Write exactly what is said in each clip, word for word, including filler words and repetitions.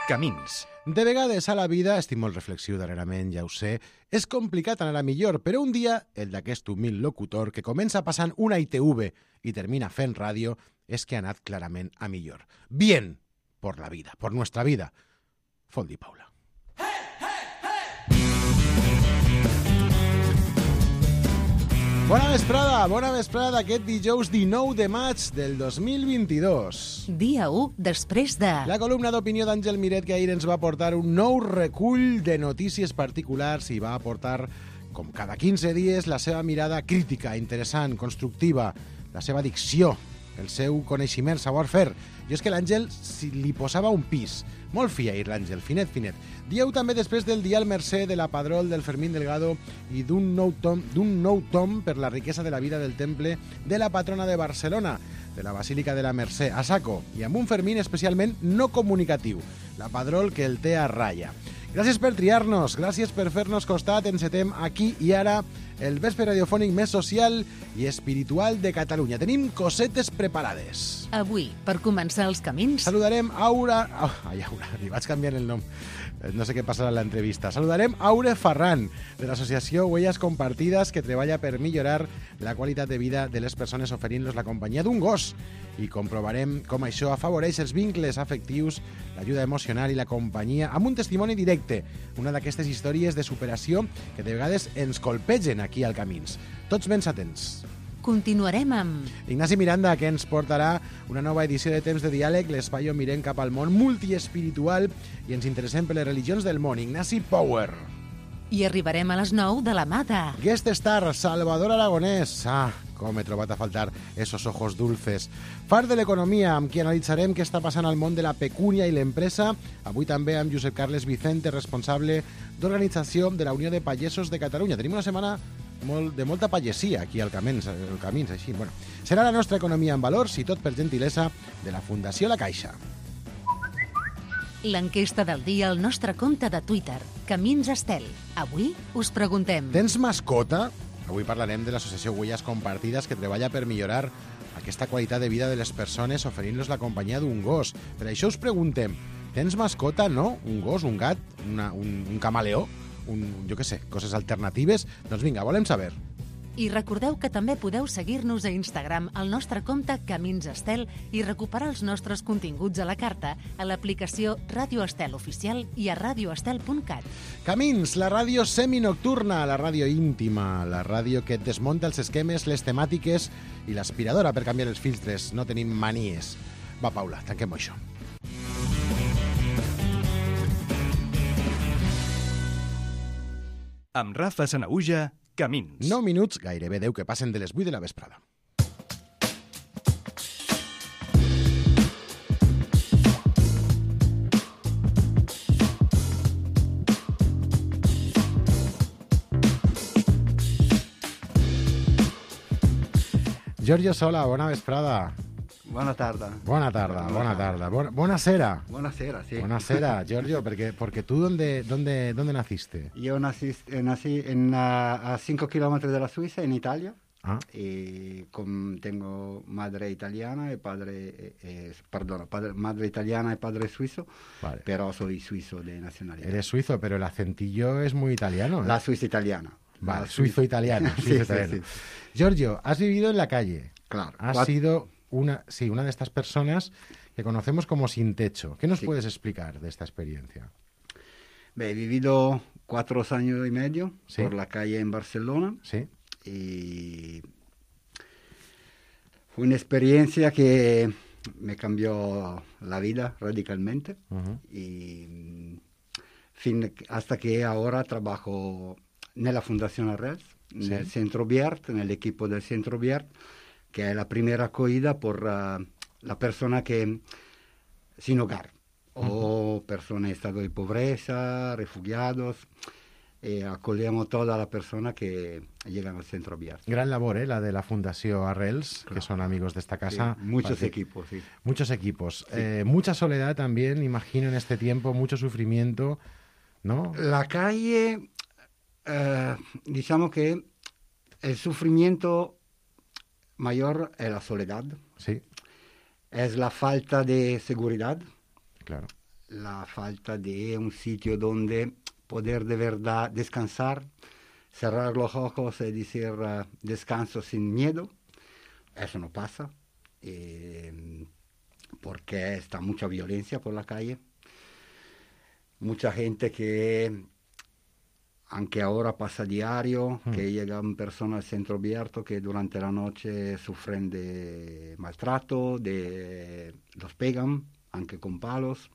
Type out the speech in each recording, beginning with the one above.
Camins. De vegades a la vida, estic molt reflexiu darrerament, ja ho sé, és complicat anar a millor, però un dia, el d'aquest humil locutor que comença passant una I T V i termina fent ràdio, és que ha anat clarament a millor. Bien, por la vida, por nuestra vida. Foldi Paula. Bona vesprada, bona vesprada d'aquest dijous dinou de maig del dos mil vint-i-dos. Dia u després de... La columna d'opinió d'Àngel Miret, que ahir ens va aportar un nou recull de notícies particulars i va aportar, com cada quinze dies, la seva mirada crítica, interessant, constructiva, la seva dicció, el seu coneixement, savoir-fer. I és que l'Àngel si li posava un pis. Molt fi ahir l'Àngel, finet, finet. Dieu també després del Dial Mercè de la Padrol del Fermín Delgado i d'un nou tom, d'un nou tom per la riquesa de la vida del temple de la patrona de Barcelona, de la Basílica de la Mercè, a saco, i amb un Fermín especialment no comunicatiu, la Padrol que el té a ratlla. Gràcies per triar-nos, gràcies per fer-nos costat, encetem aquí i ara el vespre radiofònic més social i espiritual de Catalunya. Tenim cosetes preparades. Avui, per començar els camins... Saludarem Aura... Oh, ai, Aura, li vaig canviar el nom. No sé què passarà en l'entrevista. Saludarem Aure Ferran, de l'associació Huellas Compartides, que treballa per millorar la qualitat de vida de les persones oferint-los la companyia d'un gos. I comprovarem com això afavoreix els vincles afectius, l'ajuda emocional i la companyia amb un testimoni directe, una d'aquestes històries de superació que de vegades ens colpegen aquí al Camins. Tots ben atents. Continuarem amb... Ignasi Miranda, que ens portarà una nova edició de Temps de Diàleg, l'espai on mirem cap al món multiespiritual i ens interessem per les religions del món. Ignasi Power. I arribarem a les nou de la mà de... Guest Star, Salvador Aragonès. Ah, com he trobat a faltar esos ojos dulces. Far de l'economia, amb qui analitzarem què està passant al món de la pecúnia i l'empresa. Avui també amb Josep Carles Vicente, responsable d'organització de la Unió de Pagesos de Catalunya. Tenim una setmana molt, de molta pagesia aquí al Camins, al Camins així. Bueno, serà la nostra economia en valors i tot per gentilesa de la Fundació La Caixa. L'enquesta del dia al nostre compte de Twitter, Camins Estel. Avui us preguntem... Tens mascota? Avui parlarem de l'associació Huellas Compartides, que treballa per millorar aquesta qualitat de vida de les persones oferint-los la companyia d'un gos. Per això us preguntem, tens mascota, no? Un gos, un gat, una, un, un camaleó? Un, jo què sé, coses alternatives? Doncs vinga, volem saber. I recordeu que també podeu seguir-nos a Instagram al nostre compte Camins Estel i recuperar els nostres continguts a la carta a l'aplicació Ràdio Estel Oficial i a radioestel punt cat. Camins, la ràdio seminocturna, la ràdio íntima, la ràdio que et desmunta els esquemes, les temàtiques i l'aspiradora per canviar els filtres. No tenim manies. Va, Paula, tanquem això. Amb Rafa Sanaüja, Camins. nou minuts, gairebé deu que passen de les vuit de la vesprada. Giorgio Sola, bona vesprada. Buona tarda. Buona tarda, buena tarda. Buena, buonasera. Buonasera, sí. Buonasera, Giorgio, porque, porque tú, ¿dónde, dónde, ¿dónde naciste? Yo nací, eh, nací en, uh, a cinco kilómetros de la Suiza, en Italia. Ah. Y con, tengo madre italiana y padre, eh, eh, perdón, padre, madre italiana y padre suizo, Vale. pero soy suizo de nacionalidad. Eres suizo, pero el acentillo es muy italiano, ¿eh? La Suiza italiana. Vale, La suizo-italiano. Sí, Suizo sí, italiano. sí. Giorgio, has vivido en la calle. Claro. Has Cuat- sido una, sí, una de estas personas que conocemos como sin techo. ¿Qué nos Sí. puedes explicar de esta experiencia? Beh, he vivido cuatro años y medio Sí. por la calle en Barcelona. Sí. Y fue una experiencia que me cambió la vida radicalmente. Ujú. Y mm, fin, hasta que ahora trabajo en la Fundación Arrels, en Sí. el Centro Biart, en el equipo del Centro Biart, que es la primera acogida por uh, la persona que sin hogar, o personas en estado de pobreza, refugiados. Eh, acogemos toda la persona que llegan al Centro Biart. Gran labor, ¿eh? La de la Fundación Arrels, Claro. que son amigos de esta casa. Sí, muchos Parece- equipos, sí. Muchos equipos. Sí. Eh, mucha soledad también, imagino, en este tiempo, mucho sufrimiento, ¿no? La calle, eh, digamos que el sufrimiento mayor es la soledad, Sí, es la falta de seguridad, claro. la falta de un sitio donde poder de verdad descansar, cerrar los ojos y decir uh, descanso sin miedo. Eso no pasa, eh, porque está mucha violencia por la calle. Mucha gente que, aunque ahora pasa diario, mm. que llegan personas al centro abierto que durante la noche sufren de maltrato, de, los pegan, aunque con palos.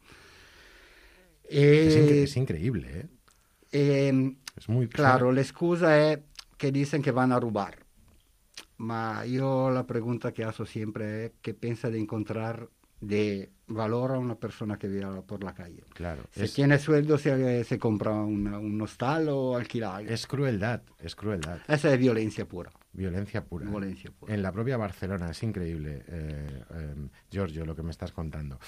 Eh, es, incre- es increíble, ¿eh? eh es muy claro, la excusa es que dicen que van a robar. Ma io la pregunta che faccio sempre è che pensa di incontrare de valor a una persona que vive por la calle. Claro. Si es, tiene sueldo se, se compra una, un hostal o alquilar. Es crueldad, es crueldad. Esa es violencia pura. Violencia pura. Violencia pura. En la propia Barcelona, es increíble, eh, eh, Giorgio, lo que me estás contando.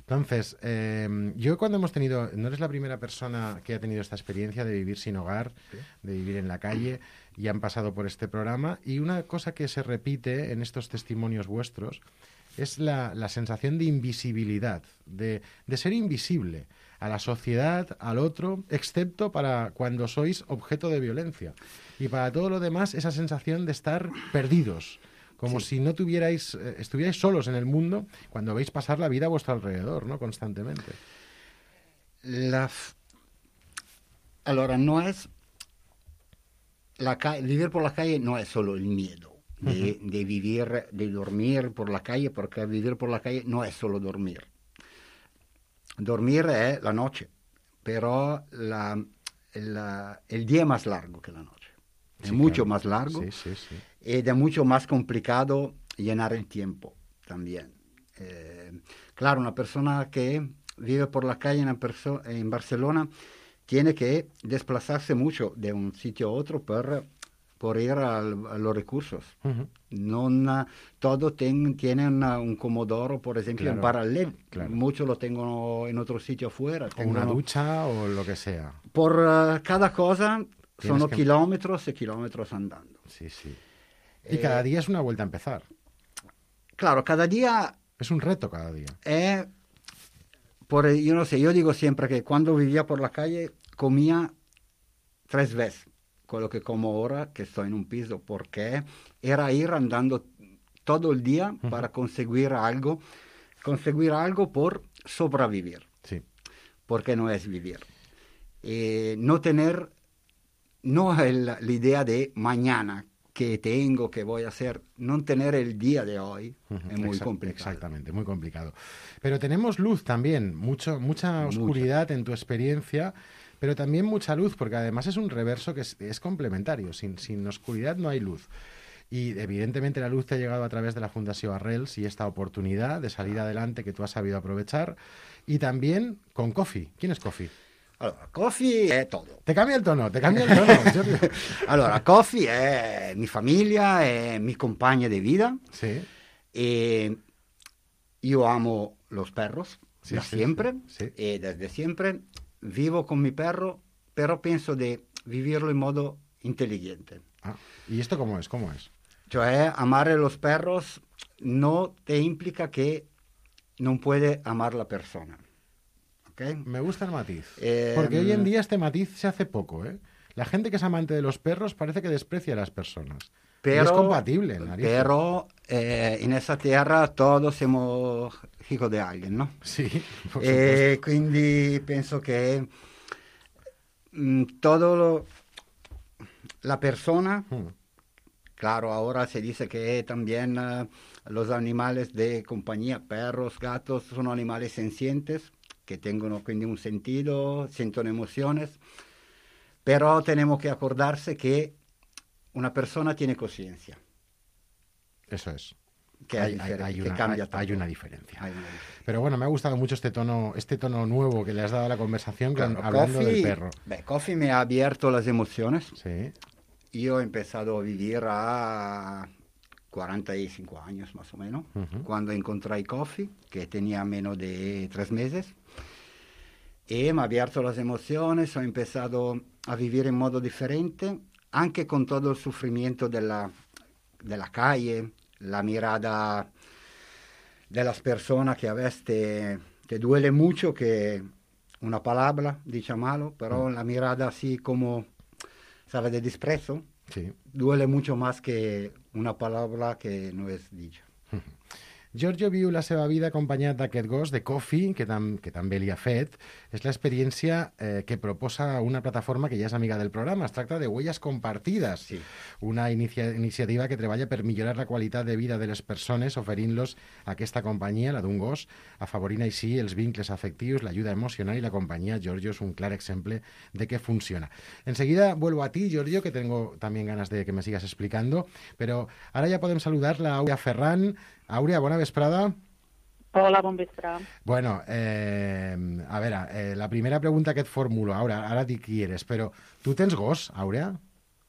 Entonces, eh, yo cuando hemos tenido, no eres la primera persona que ha tenido esta experiencia de vivir sin hogar, ¿sí? de vivir en la calle, y han pasado por este programa, y una cosa que se repite en estos testimonios vuestros es la, la sensación de invisibilidad, de, de ser invisible a la sociedad, al otro, excepto para cuando sois objeto de violencia. Y para todo lo demás, esa sensación de estar perdidos, como sí. si no tuvierais, eh, estuvierais solos en el mundo cuando veis pasar la vida a vuestro alrededor, ¿no? Constantemente. La f... Allora, no es... La ca... Vivir por la calle no es solo el miedo. De, uh-huh. de vivir, de dormir por la calle, porque vivir por la calle no es solo dormir. Dormir es la noche, pero la, la, el día es más largo que la noche. Es sí, mucho claro. más largo sí, sí, sí. y es mucho más complicado llenar el tiempo también. Eh, claro, una persona que vive por la calle en, perso- en Barcelona tiene que desplazarse mucho de un sitio a otro per... por ir al, a los recursos. Uh-huh. Non, todo ten, tiene una, un comodoro, por ejemplo, claro, en paralelo. Claro. Muchos lo tengo en otro sitio afuera. O una ducha o lo que sea. Por uh, cada cosa son que... kilómetros y kilómetros andando. Sí, sí. Y eh, cada día es una vuelta a empezar. Claro, cada día... Es un reto cada día. Eh, por, yo no sé, yo digo siempre que cuando vivía por la calle comía tres veces con lo que como ahora que estoy en un piso, porque era ir andando todo el día uh-huh. para conseguir algo, conseguir algo por sobrevivir, sí. porque no es vivir. Eh, no tener, no el, la idea de mañana, que tengo, que voy a hacer, no tener el día de hoy uh-huh. es muy Exa- complicado. Exactamente, muy complicado. Pero tenemos luz también, mucho, mucha oscuridad mucha. En tu experiencia, pero también mucha luz, porque además es un reverso que es, es complementario. Sin, sin oscuridad no hay luz. Y evidentemente la luz te ha llegado a través de la Fundació Arrels y esta oportunidad de salir adelante que tú has sabido aprovechar. Y también con Coffee. ¿Quién es Coffee? Allora, Coffee è todo. Te cambia il tono, te cambia il tono. Allora, Coffee è mi famiglia, è mi compagna di vita. Sí. E io amo los perros, sí, da sí, siempre. Sí, sí. E desde siempre vivo con mi perro, pero penso di vivirlo in modo inteligente. Ah, ¿y esto cómo es? ¿Cómo es? Cioè, amare los perros no te implica que non puede amar la persona. ¿Okay? Me gusta el matiz. Eh, porque hoy en día este matiz se hace poco, ¿eh? La gente que es amante de los perros parece que desprecia a las personas. Pero, y es compatible, narices. Pero eh, en esa tierra todos siamo hijos de alguien, ¿no? Sí, por eh, quindi penso che mh, todo lo, la persona, hmm. claro, ahora se dice que también uh, los animales de compañía, perros, gatos, son animales sencientes, que tengono quindi un sentido, sienten emociones, pero tenemos que acordarse que una persona tiene conciencia. Eso es. Que, hay, hay, hay, que una, cambia hay, hay, una diferencia. hay una diferencia. Pero bueno, me ha gustado mucho este tono, este tono nuevo que le has dado a la conversación, claro, con, hablando Coffee, del perro. Beh, Coffee me ha abierto las emociones. Sí. Yo he empezado a vivir a cuarenta y cinco años más o menos, uh-huh. cuando encontré Coffee, que tenía menos de tres meses. Y me ha abierto las emociones, he empezado a vivir en modo diferente, anche con todo el sufrimiento de la, de la calle, la mirada de las personas que a veces te, te duele mucho que una palabra dicha malo, pero mm. la mirada así como, ¿sabes?, de desprecio, sí. duele mucho más que una palabra que no es dicha. Giorgio viu la seva vida acompanyat d'aquest gos, de Coffee, que, tam que també li ha fet. És l'experiència eh, que proposa una plataforma que ja és amiga del programa. Es tracta de Huellas Compartides, sí. una inicia iniciativa que treballa per millorar la qualitat de vida de les persones, oferint-los aquesta companyia, la d'un gos, afavorint així els vincles afectius, l'ajuda emocional i la companyia. Giorgio és un clar exemple de que funciona. Enseguida vuelvo a ti, Giorgio, que tengo también ganas de que me sigas explicando, pero ahora ya podem saludar la Aurea Ferran. Àurea, bona vesprada. Hola, bon vespre. Bueno, eh, a veure, eh, la primera pregunta que et formulo, Àurea, ara dic qui eres, però tu tens gos, Àurea?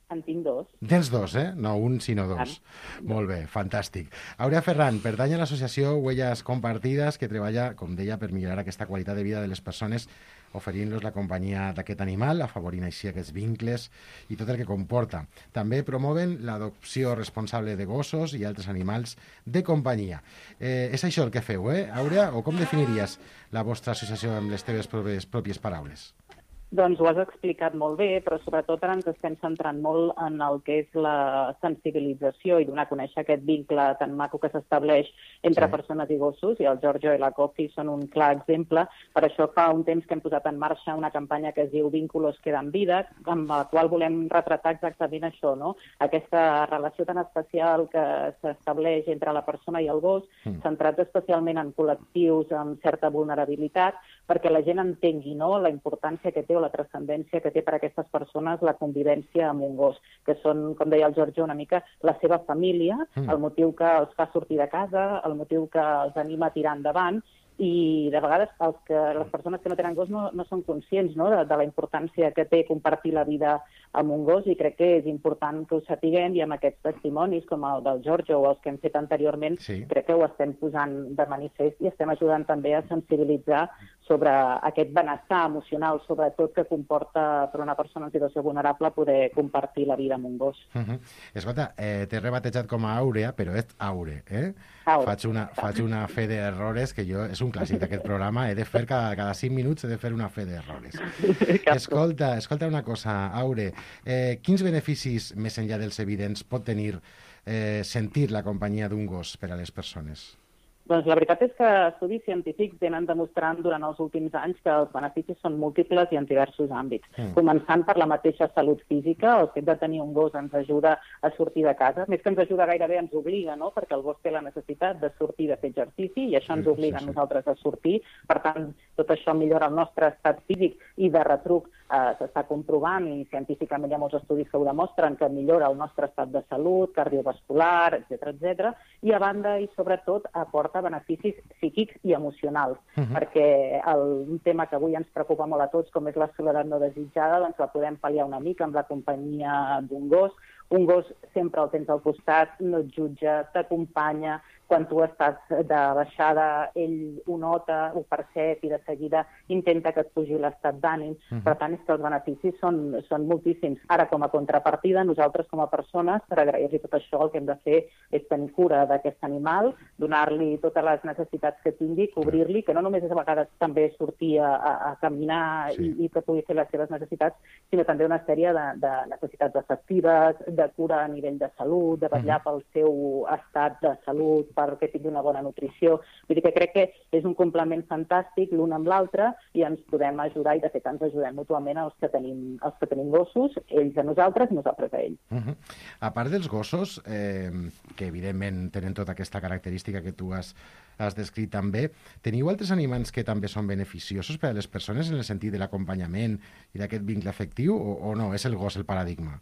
En tinc dos. Tens dos, eh? No un, sinó dos. Ah, molt bé, fantàstic. Àurea Ferran pertany a l'associació Huellas Compartides, que treballa, com deia, per millorar aquesta qualitat de vida de les persones, oferint-los la companyia d'aquest animal, afavorint així aquests vincles i tot el que comporta. També promoven l'adopció responsable de gossos i altres animals de companyia. Eh, és això el que feu, eh, Àurea? O com definiries la vostra associació amb les teves pròpies, pròpies paraules? Doncs ho has explicat molt bé, però sobretot ara ens estem centrant molt en el que és la sensibilització i donar a conèixer aquest vincle tan maco que s'estableix entre sí. persones i gossos, i el Giorgio i la Coffee són un clar exemple. Per això fa un temps que hem posat en marxa una campanya que es diu Vínculos quedan vida, amb la qual volem retratar exactament això, no? Aquesta relació tan especial que s'estableix entre la persona i el gos, mm. centrats especialment en col·lectius amb certa vulnerabilitat, perquè la gent entengui, no?, la importància que té la transcendència que té per a aquestes persones la convivència amb un gos, que són, com deia el Giorgio, una mica la seva família, mm. el motiu que els fa sortir de casa, el motiu que els anima a tirar endavant, i de vegades els que, les persones que no tenen gos no, no són conscients, no?, de, de la importància que té compartir la vida amb un gos, i crec que és important que ho sapiguem, i amb aquests testimonis com el del Giorgio o els que hem fet anteriorment, sí. crec que ho estem posant de manifest i estem ajudant també a sensibilitzar sobre aquest benestar emocional, sobretot, que comporta per una persona en situació vulnerable poder compartir la vida amb un gos. Uh -huh. Escolta, eh, t'he rebatejat com a Àurea, però és Aure, eh? Aure. Faig una, faig una fe d'errores, que jo, és un clàssic d'aquest programa, he de fer cada, cada cinc minuts he de fer una fe d'errores. Escolta, escolta una cosa, Aure, eh, quins beneficis, més enllà dels evidents, pot tenir eh, sentir la companyia d'un gos per a les persones? Doncs la veritat és que estudis científics venen demostrant durant els últims anys que els beneficis són múltiples i en diversos àmbits. Mm. Començant per la mateixa salut física, el fet de tenir un gos ens ajuda a sortir de casa. Més que ens ajuda, gairebé ens obliga, no?, perquè el gos té la necessitat de sortir, de fer exercici, i això ens obliga sí, sí, sí. a nosaltres a sortir. Per tant, tot això millora el nostre estat físic, i de retruc eh, s'està comprovant, i científicament hi ha molts estudis que ho demostren, que millora el nostre estat de salut, cardiovascular, etcètera, etcètera. I a banda i sobretot aporta beneficis psíquics i emocionals, uh -huh. perquè el, un tema que avui ens preocupa molt a tots, com és la soledat no desitjada, doncs la podem pal·liar una mica amb la companyia d'un gos. Un gos sempre el tens al costat, no et jutja, t'acompanya. Quan tu estàs de baixada, ell ho nota, ho percep, i de seguida intenta que et pugi l'estat d'ànim. Uh-huh. Per tant, és que els beneficis són, són moltíssims. Ara, com a contrapartida, nosaltres com a persones, per agrair-li tot això, el que hem de fer és tenir cura d'aquest animal, donar-li totes les necessitats que tingui, cobrir-li, que no només és a vegades també sortir a, a, a caminar sí. i, i que pugui fer les seves necessitats, sinó també una sèrie de, de necessitats afectives, de cura a nivell de salut, de vetllar uh-huh. pel seu estat de salut, perquè tingui una bona nutrició. Vull dir que crec que és un complement fantàstic l'un amb l'altre, i ens podem ajudar, i de fet ens ajudem mútuament els que tenim, els que tenim gossos, ells a nosaltres i nosaltres a ells. Uh -huh. A part dels gossos, eh, que evidentment tenen tota aquesta característica que tu has, has descrit també, teniu altres animals que també són beneficiosos per a les persones en el sentit de l'acompanyament i d'aquest vincle afectiu, o, o no? És el gos el paradigma?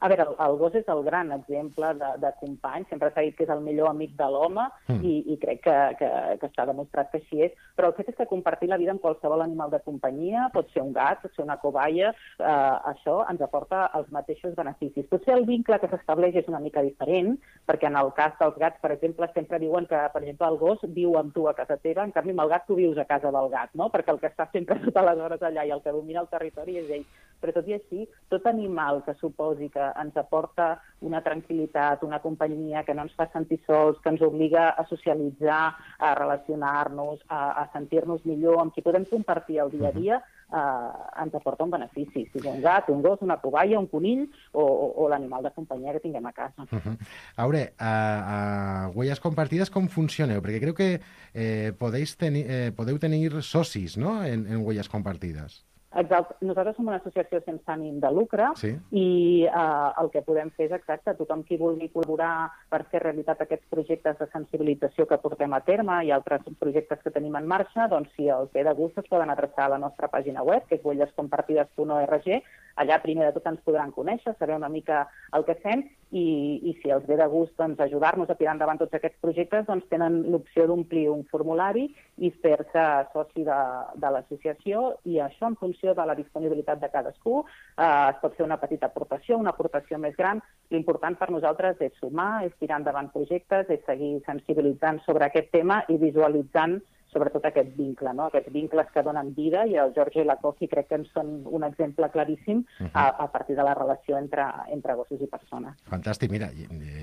A veure, el, el gos és el gran exemple de, de company, sempre s'ha dit que és el millor amic de l'home, mm. i, i crec que, que, que està demostrat que així és, però el fet és que compartir la vida amb qualsevol animal de companyia, pot ser un gat, pot ser una cobaia, eh, això ens aporta els mateixos beneficis. Potser el vincle que s'estableix és una mica diferent, perquè en el cas dels gats, per exemple, sempre diuen que, per exemple, el gos viu amb tu a casa teva, en canvi amb el gat tu vius a casa del gat, no?, perquè el que està sempre totes les hores allà i el que domina el territori és ell. però tot i així, tot animal que suposi que ens aporta una tranquil·litat, una companyia que no ens fa sentir sols, que ens obliga a socialitzar, a relacionar-nos, a, a sentir-nos millor, amb qui podem compartir el dia a dia, eh, ens aporta un benefici. Si és un gat, un gos, una cobaia, un conill o, o, o l'animal de companyia que tinguem a casa. Uh-huh. Aure, a, a Huellas Compartides com funcioneu? Perquè crec que eh, podeu tenir, eh, podeu tenir socis, no?, en, en Huellas Compartides. Exacte. Nosaltres som una associació sense ànim de lucre sí. i eh, el que podem fer és exacte, tothom qui vulgui col·laborar per fer realitat aquests projectes de sensibilització que portem a terme i altres projectes que tenim en marxa, doncs si els ve de gust es poden adreçar a la nostra pàgina web, que és huellas compartides punt org. Allà primer de tot ens podran conèixer, saber una mica el que fem i, i si els ve de gust doncs, ajudar-nos a tirar endavant tots aquests projectes, doncs tenen l'opció d'omplir un formulari i fer-se soci de, de l'associació i això en funció de la disponibilitat de cadascú eh, es pot fer una petita aportació, una aportació més gran. L'important per nosaltres és sumar, és tirar endavant projectes, és seguir sensibilitzant sobre aquest tema i visualitzant sobretot aquest vincle, no? Aquests vincles que donen vida, i el Giorgio i la Coffee crec que en són un exemple claríssim uh-huh. a, a partir de la relació entre, entre gossos i persones. Fantàstic. Mira,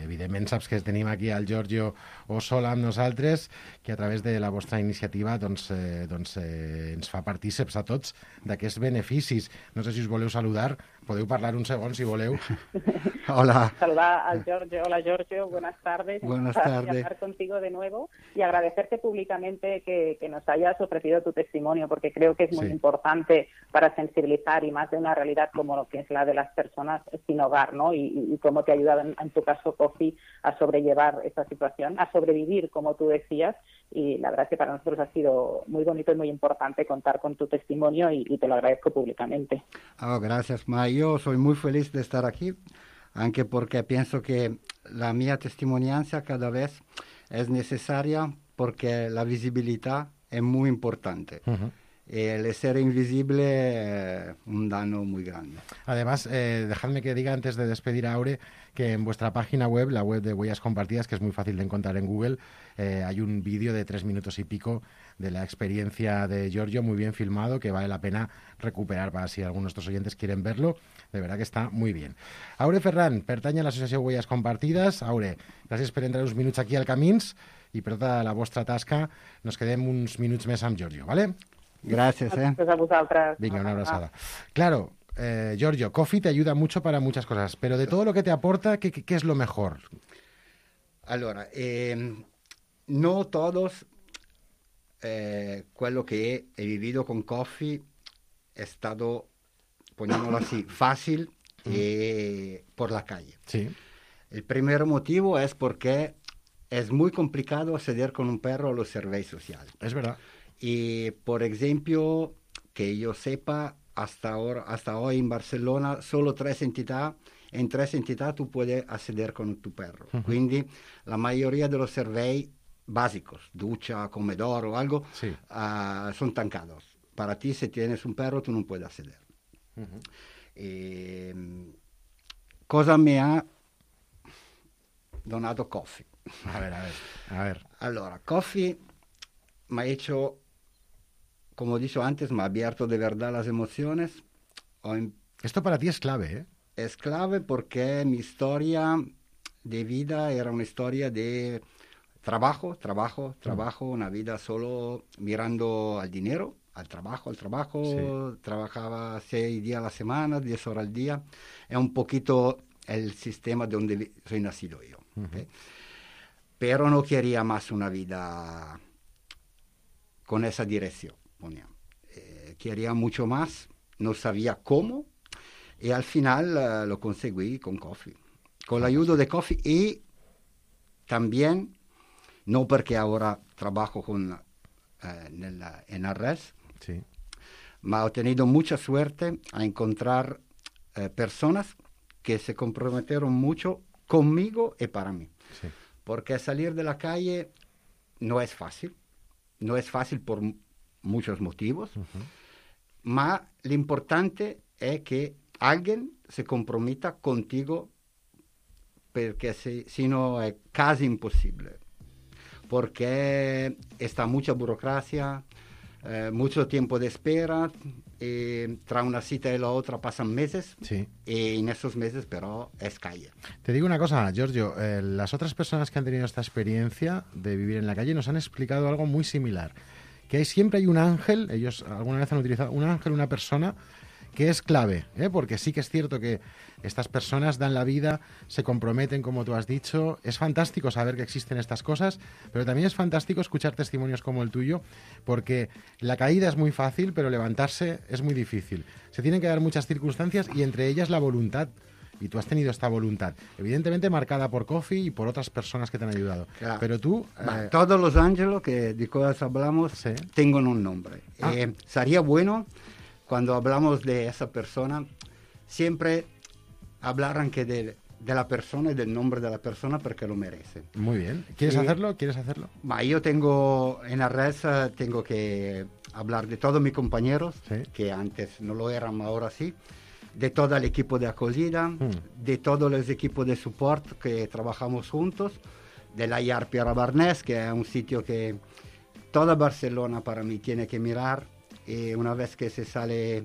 evidentment saps que tenim aquí el Giorgio Ossola amb nosaltres, que a través de la vostra iniciativa doncs, eh, doncs, eh, ens fa partíceps a tots d'aquests beneficis. No sé si us voleu saludar, podeu parlar un segon si voleu. Hola. Saludar al Giorgio. Hola Giorgio, buenas tardes. Buenas tardes. Hablar contigo de nuevo y agradecerte públicamente que Que, que nos hayas ofrecido tu testimonio, porque creo que es muy sí. importante para sensibilizar y más de una realidad como lo que es la de las personas sin hogar, ¿no? Y, y, y cómo te ha ayudado en, en tu caso, Coffee, a sobrellevar esta situación, a sobrevivir, como tú decías, y la verdad es que para nosotros ha sido muy bonito y muy importante contar con tu testimonio y, y te lo agradezco públicamente. Oh, gracias, Ma. Yo soy muy feliz de estar aquí, aunque porque pienso que la mía testimonianza cada vez es necesaria porque la visibilidad es muy importante. Uh-huh. El ser invisible es un daño muy grande. Además, eh, dejadme que diga antes de despedir a Aure que en vuestra página web, la web de Huellas Compartidas, que es muy fácil de encontrar en Google, eh, hay un vídeo de tres minutos y pico de la experiencia de Giorgio, muy bien filmado, que vale la pena recuperar para si algunos de nuestros oyentes quieren verlo. De verdad que està muy bien. Aure Ferran, pertany a l'associació Huellas Compartides. Aure, gràcies per entrar uns minuts aquí al Camins i per tota la vostra tasca. Nos quedem uns minuts més amb Giorgio, ¿vale? Gracias, eh. Gracias a vosotras. Venga, una abrazada. Claro, eh, Giorgio, Coffee te ayuda mucho para muchas cosas, pero de todo lo que te aporta, ¿qué, qué, qué es lo mejor? Allora, eh, no todos eh, quello che he vivido con Coffee è stato, poniéndolo así, fácil eh, por la calle. Sí. El primer motivo es porque es muy complicado acceder con un perro a los servicios sociales. Es verdad. Y, por ejemplo, que yo sepa, hasta ahora, hasta hoy en Barcelona, solo tres entidades, en tres entidades tú puedes acceder con tu perro. Uh-huh. Quindi la mayoría de los servicios básicos, ducha, comedor o algo, sí. uh, son tancados. Para ti, si tienes un perro, tú no puedes acceder. Uh-huh. Eh, cosa me ha donato Coffee? A ver, a ver, a ver. Allora, Coffee me ha hecho, como he dicho antes, me ha abierto de verdad las emociones. Em... Esto para ti es clave, ¿eh? Es clave porque mi historia de vida era una historia de trabajo, trabajo, trabajo, mm. una vida solo mirando al dinero, al trabajo, al trabajo. Sí. Trabajaba seis días a la semana, diez horas al día. Es un poquito el sistema de donde soy nacido yo. Uh-huh. ¿Okay? Pero no quería más una vida con esa dirección. Eh, quería mucho más, no sabía cómo, y al final uh, lo conseguí con Coffee. Con la ayuda de Coffee y también, no porque ahora trabajo con, uh, en, la, en la red, sí. ma he tenido mucha suerte a encontrar uh, personas que se comprometieron mucho conmigo y para mí. Sí. Porque salir de la calle no es fácil, no es fácil por muchos motivos, uh-huh. ma lo importante es que alguien se comprometa contigo, porque si, si no es casi imposible, porque está mucha burocracia, eh, mucho tiempo de espera, eh, tra una cita y la otra pasan meses, Sí. y en esos meses pero es calle. Te digo una cosa, Giorgio, eh, las otras personas que han tenido esta experiencia de vivir en la calle nos han explicado algo muy similar, que hay, siempre hay un ángel, ellos alguna vez han utilizado un ángel, una persona que es clave, ¿eh? Porque sí que es cierto que estas personas dan la vida, se comprometen, como tú has dicho. Es fantástico saber que existen estas cosas, pero también es fantástico escuchar testimonios como el tuyo, porque la caída es muy fácil, pero levantarse es muy difícil. Se tienen que dar muchas circunstancias y entre ellas la voluntad. Y tú has tenido esta voluntad, evidentemente marcada por Kofi y por otras personas que te han ayudado. Claro. Pero tú... Ma eh, todos los ángeles que de cosas hablamos Sí. tienen un nombre. Ah. Eh, sería bueno, cuando hablamos de esa persona, siempre hablar anche de, de la persona y del nombre de la persona porque lo merece. muy bien. ¿Quieres Sí. hacerlo? ¿Quieres hacerlo? Ma yo tengo, en la red eh, tengo que hablar de todos mis compañeros, Sí. que antes no lo eran, ahora sí, de todo el equipo de acogida, Mm. de todos los equipos de support que trabajamos juntos, de la I A R Piera Barnés, que es un sitio que toda Barcelona para mí tiene que mirar, y una vez que se sale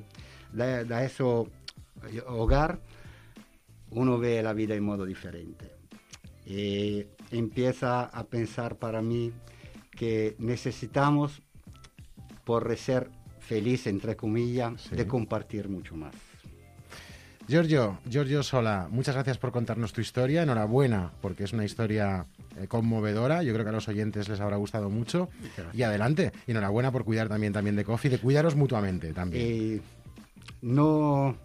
de, de ese hogar, uno ve la vida en modo diferente. Y empieza a pensar para mí que necesitamos, por ser feliz, entre comillas, Sí. de compartir mucho más. Giorgio, Giorgio Sola, muchas gracias por contarnos tu historia. Enhorabuena, porque es una historia eh, conmovedora. Yo creo que a los oyentes les habrá gustado mucho. Gracias. Y adelante. Y enhorabuena por cuidar también, también de Kofi, de cuidaros mutuamente también. Y no...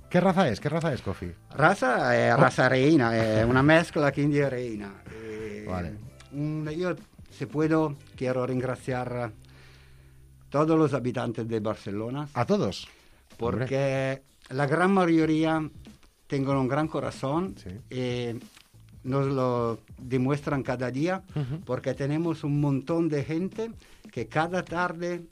¿Qué raza es? ¿Qué raza es Kofi? Raza è raza reina, è una mezcla quindi è reina. E Vale. un- io, se puedo, quiero ringraziar a todos los habitantes de Barcelona, A todos. porque la gran mayoría tienen un gran corazón Sí. y nos lo demuestran cada día, Ujú. porque tenemos un montón de gente que cada tarde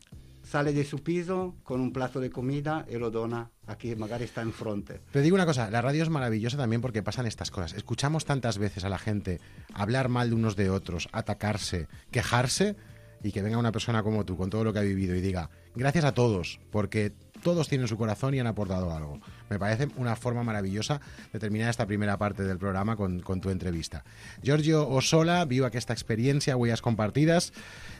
sale de su piso con un plato de comida y lo dona a quien magari está enfrente. Te digo una cosa, la radio es maravillosa también porque pasan estas cosas. Escuchamos tantas veces a la gente hablar mal de unos de otros, atacarse, quejarse, y que venga una persona como tú, con todo lo que ha vivido, y diga, gracias a todos, porque todos tienen su corazón y han aportado algo. Me parece una forma maravillosa de terminar esta primera parte del programa con, con tu entrevista. Giorgio Osola, viu aquesta experiència, huellas compartides,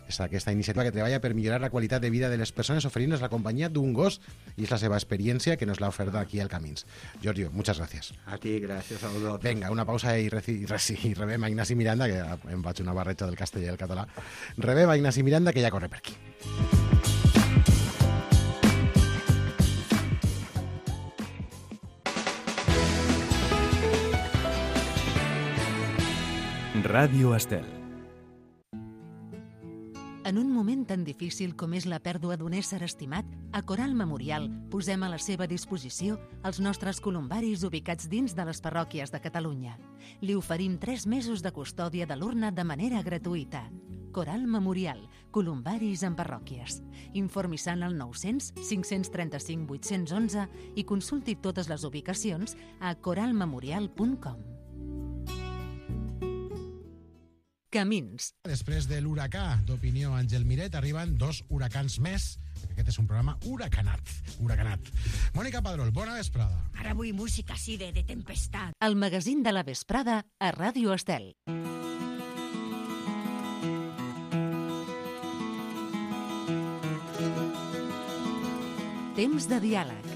esta, aquesta iniciativa que treballa per millorar la qualitat de vida de les persones oferint-nos la companyia d'un gos, i és la seva experiència que nos l'ha oferta aquí al Camins. Giorgio, muchas gracias. A ti, gracias a vosotros. Vinga, una pausa i, reci, reci, i rebem a Ignasi Miranda, que em faig una barreja del castellà i el català. Rebem a Ignasi Miranda, que ja corre per aquí. Ràdio Estel. En un moment tan difícil com és la pèrdua d'un ésser estimat, a Coral Memorial posem a la seva disposició els nostres columbaris ubicats dins de les parròquies de Catalunya. Li oferim tres mesos de custòdia de l'urna de manera gratuïta. Coral Memorial, columbaris en parròquies. Informi-se'n al nou-cents cinc-cents trenta-cinc vuit-cents onze i consulti totes les ubicacions a coral memorial punt com. Camins. Després de l'huracà d'Opinió Àngel Miret arriben dos huracans més. Aquest és un programa huracanat. huracanat. Mònica Padrol, bona vesprada. Ara vull música així de, de tempestat. El magazín de la vesprada a Ràdio Estel. Temps de diàleg.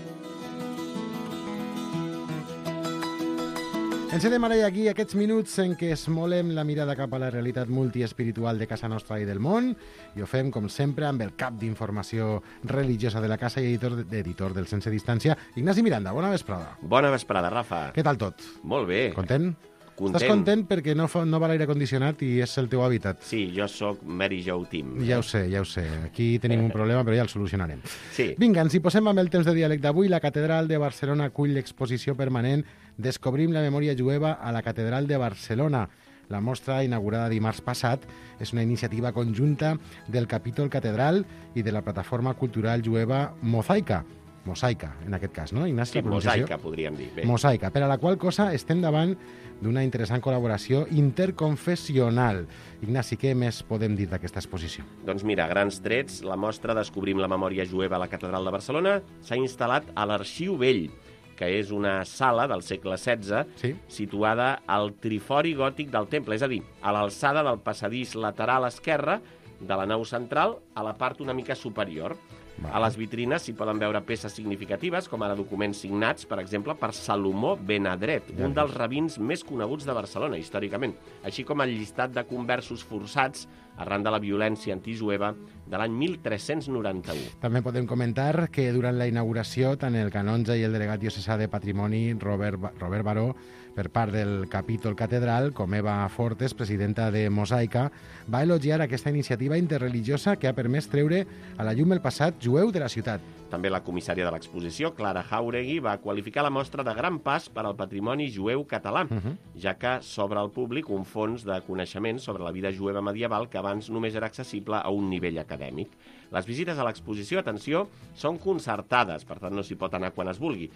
Encedem ara i aquí aquests minuts en què esmolem la mirada cap a la realitat multiespiritual de casa nostra i del món, i ho fem, com sempre, amb el cap d'informació religiosa de la casa i editor, editor del Sense Distància, Ignasi Miranda. Bona vesprada. Bona vesprada, Rafa. Què tal tot? Molt bé. Content? Content. Estàs content perquè no, fa, no va l'aire condicionat i és el teu hàbitat? Sí, jo sóc Mary Jo Team. Ja ho sé, ja ho sé. Aquí tenim un problema, però ja el solucionarem. Sí. Vinga, ens hi posem amb el temps de diàleg d'avui. La Catedral de Barcelona acull l'exposició permanent Descobrim la memòria jueva a la Catedral de Barcelona. La mostra, inaugurada dimarts passat, és una iniciativa conjunta del capítol Catedral i de la plataforma cultural jueva Mosaica. mosaica, en aquest cas, no, Ignasi? Sí, la pronunciació? mosaica, podríem dir. Bé. Mosaica, per a la qual cosa estem davant d'una interessant col·laboració interconfessional. Ignasi, què més podem dir d'aquesta exposició? Doncs mira, grans trets, la mostra Descobrim la memòria jueva a la Catedral de Barcelona s'ha instal·lat a l'Arxiu Vell, que és una sala del segle setze, Sí. situada al trifori gòtic del temple, és a dir, a l'alçada del passadís lateral esquerre de la nau central a la part una mica superior. Vale. A les vitrines s'hi poden veure peces significatives, com ara documents signats, per exemple, per Salomó Benadret, Ja un dels rabins més coneguts de Barcelona, històricament, així com el llistat de conversos forçats arran de la violència antijueva de l'any mil tres-cents noranta-u. També podem comentar que durant la inauguració tant el canonge i el delegat diocesà de Patrimoni, Robert, Ba- Robert Baró, per part del capítol catedral, com Eva Fortes, presidenta de Mosaica, va elogiar aquesta iniciativa interreligiosa que ha permès treure a la llum el passat jueu de la ciutat. També la comissària de l'exposició, Clara Jauregui, va qualificar la mostra de gran pas per al patrimoni jueu català, Uh -huh. ja que s'obre al públic un fons de coneixements sobre la vida jueva medieval que abans només era accessible a un nivell acadèmic. Les visites a l'exposició, atenció, són concertades, per tant no s'hi pot anar quan es vulgui.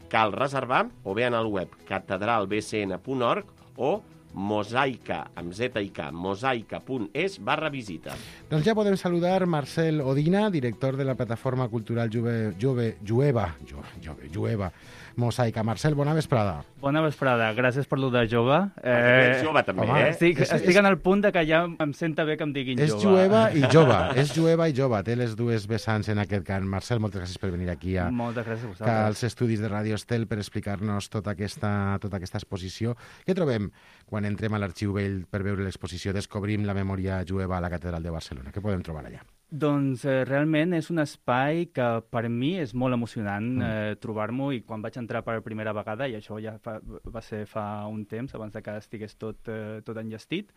Cal reservar o bé en el web catedral b c n punt org o mosaica, amb z i k, mosaica.es barra visita. Doncs ja podem saludar Marcel Odina, director de la plataforma cultural Juve, Juve, Jueva, Ju- Juve, Jueva Mosaica. Marcel, bona vesprada. Bona vesprada, gràcies per lo de jove. Eh... Ets jove també, home, eh? Estic, És- estic és- en el punt de que ja em senta bé que em diguin És jove. jueva i jove, és jueva i jove. Té les dues vessants en aquest cant. Marcel, moltes gràcies per venir aquí a, Moltes gràcies a que vosaltres. als estudis de Ràdio Estel per explicar-nos tota aquesta, tota aquesta exposició. Què trobem quan entrem a l'Arxiu Vell per veure l'exposició Descobrim la memòria jueva a la Catedral de Barcelona? Què podem trobar allà? Doncs eh, realment és un espai que per mi és molt emocionant Mm. eh, trobar-m'ho, i quan vaig entrar per primera vegada, i això ja fa, va ser fa un temps, abans de que estigués tot, eh, tot enllestit,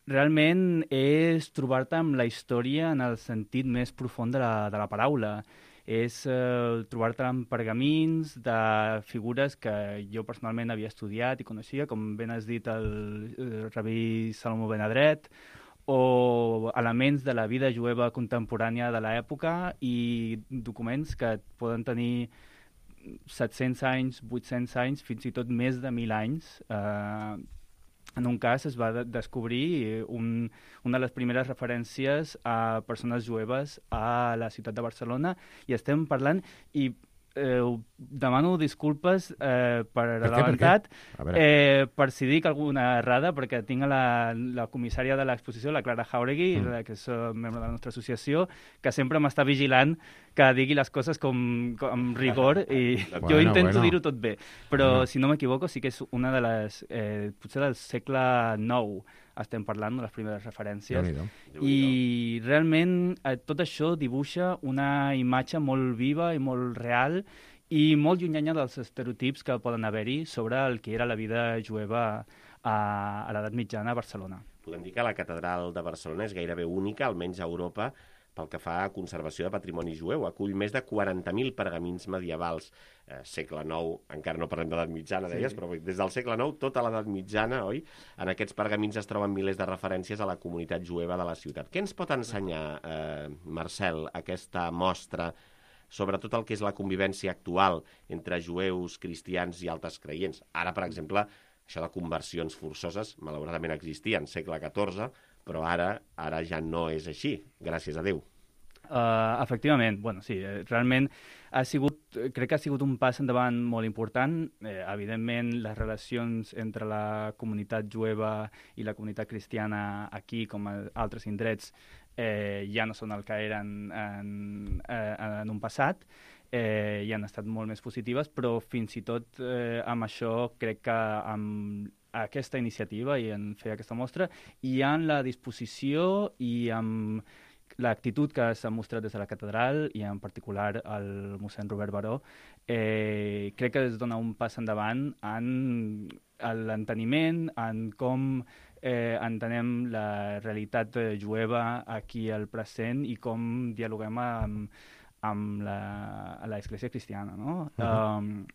realment és trobar-te amb la història en el sentit més profund de la, de la paraula. És eh, trobar-te amb pergamins de figures que jo personalment havia estudiat i coneixia, com ben has dit el, el rabí Salomó Benadret, o elements de la vida jueva contemporània de l'època i documents que poden tenir set-cents anys, vuit-cents anys, fins i tot més de mil anys. Eh, en un cas es va de descobrir un, una de les primeres referències a persones jueves a la ciutat de Barcelona, i estem parlant, i eh, demano disculpes eh, per Per què, per adelantat, què? A veure. eh, per si dic alguna errada, perquè tinc a la, la comissària de l'exposició, la Clara Jauregui, Mm. mm. que és uh, membre de la nostra associació, que sempre m'està vigilant que digui les coses com, com amb rigor, i Bueno, jo intento bueno. dir-ho tot bé. Però, Bueno. si no m'equivoco, sí que és una de les... Eh, potser del segle nou estem parlant de les primeres referències. Déu-n'hi-do. I realment eh, tot això dibuixa una imatge molt viva i molt real i molt llunyana dels estereotips que poden haver-hi sobre el que era la vida jueva a, a l'edat mitjana a Barcelona. Podem dir que la catedral de Barcelona és gairebé única, almenys a Europa, pel que fa a conservació de patrimoni jueu. Acull més de quaranta mil pergamins medievals, eh, segle nou, encara no parlem d'edat mitjana, deies, Sí. però des del segle nou, tota l'edat mitjana, oi? En aquests pergamins es troben milers de referències a la comunitat jueva de la ciutat. Què ens pot ensenyar, eh, Marcel, aquesta mostra sobre tot el que és la convivència actual entre jueus, cristians i altres creients? Ara, per exemple, això de conversions forçoses, malauradament existia en segle catorze, però ara ara ja no és així, gràcies a Déu. Uh, efectivament, bueno, sí, eh, realment ha sigut, crec que ha sigut un pas endavant molt important. Eh, evidentment, les relacions entre la comunitat jueva i la comunitat cristiana aquí, com a altres indrets, eh, ja no són el que eren en, eh, en un passat, eh, i han estat molt més positives, però fins i tot eh, amb això crec que amb aquesta iniciativa i en fer aquesta mostra i en la disposició i amb l'actitud que s'ha mostrat des de la catedral i en particular el mossèn Robert Baró, eh, crec que es dona un pas endavant en l'enteniment, en com eh, entenem la realitat eh, jueva aquí al present i com dialoguem amb, amb la, l'església cristiana, no? Uh-huh. um,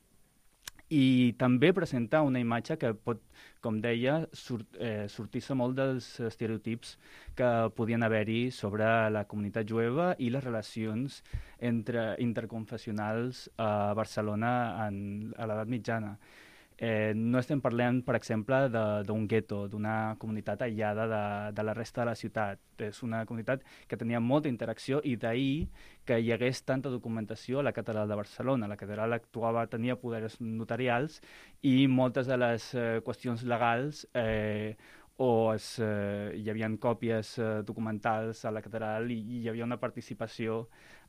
i també presentar una imatge que pot, com deia, surt, eh, sortir-se molt dels estereotips que podien haver-hi sobre la comunitat jueva i les relacions entre interconfessionals a Barcelona en, a l'edat mitjana. Eh, no estem parlant, per exemple, d'un gueto, d'una comunitat aïllada de, de la resta de la ciutat. És una comunitat que tenia molta interacció i d'ahir que hi hagués tanta documentació a la catedral de Barcelona. La catedral actuava, tenia poders notarials i moltes de les eh, qüestions legals eh, o es, eh, hi havia còpies eh, documentals a la catedral i, i hi havia una participació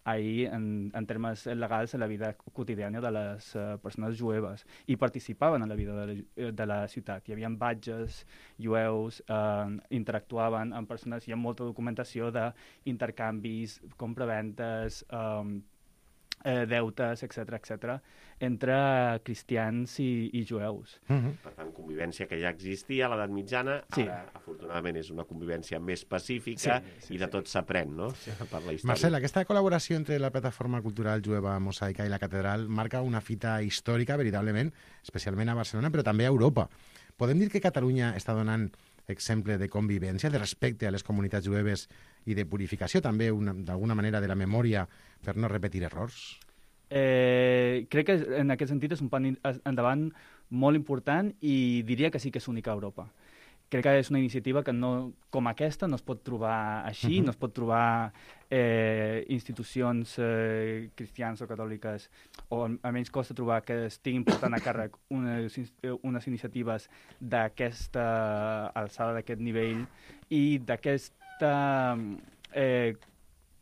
ahir en, en termes legals en la vida quotidiana de les uh, persones jueves i participaven en la vida de la, de la ciutat. Hi havia batges jueus, uh, interactuaven amb persones, hi ha molta documentació d'intercanvis, compraventes, um, eh, deutes, etcètera, etcètera, entre cristians i, i jueus. Mm-hmm. Per tant, convivència que ja existia a l'edat mitjana, sí. Ara, afortunadament, és una convivència més pacífica sí, sí, i de sí. tot s'aprèn, no?, sí. per la història. Marcel, aquesta col·laboració entre la plataforma cultural jueva Mosaica i la catedral marca una fita històrica, veritablement, especialment a Barcelona, però també a Europa. Podem dir que Catalunya està donant exemple de convivència, de respecte a les comunitats jueves i de purificació, també, d'alguna manera, de la memòria per no repetir errors? Eh, crec que en aquest sentit és un pas endavant molt important i diria que sí que és única a Europa. Crec que és una iniciativa que no, com aquesta no es pot trobar així, uh-huh. no es pot trobar eh, institucions eh, cristianes o catòliques, o almenys costa trobar que estiguin portant a càrrec unes, unes iniciatives d'aquesta alçada, d'aquest nivell i d'aquesta eh,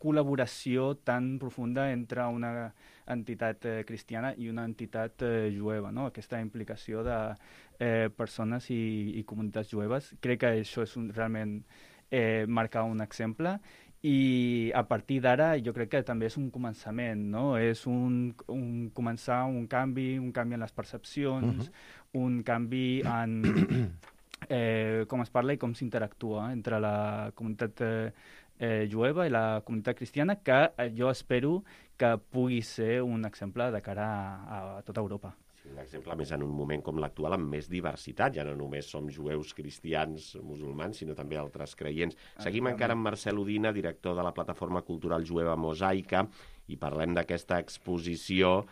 col·laboració tan profunda entre una entitat eh, cristiana i una entitat eh, jueva, no? Aquesta implicació de eh, persones i, i comunitats jueves. Crec que això és un, realment eh, marcar un exemple i a partir d'ara jo crec que també és un començament, no? És un, un començar un canvi, un canvi en les percepcions, uh-huh. un canvi en eh, com es parla i com s'interactua entre la comunitat eh, eh, jueva i la comunitat cristiana, que eh, jo espero que pugui ser un exemple de cara a, a tota Europa. Sí, un exemple més en un moment com l'actual amb més diversitat, ja no només som jueus, cristians, musulmans, sinó també altres creients. Seguim ah, encara amb Marcel Udina, director de la plataforma cultural jueva Mosaica, i parlem d'aquesta exposició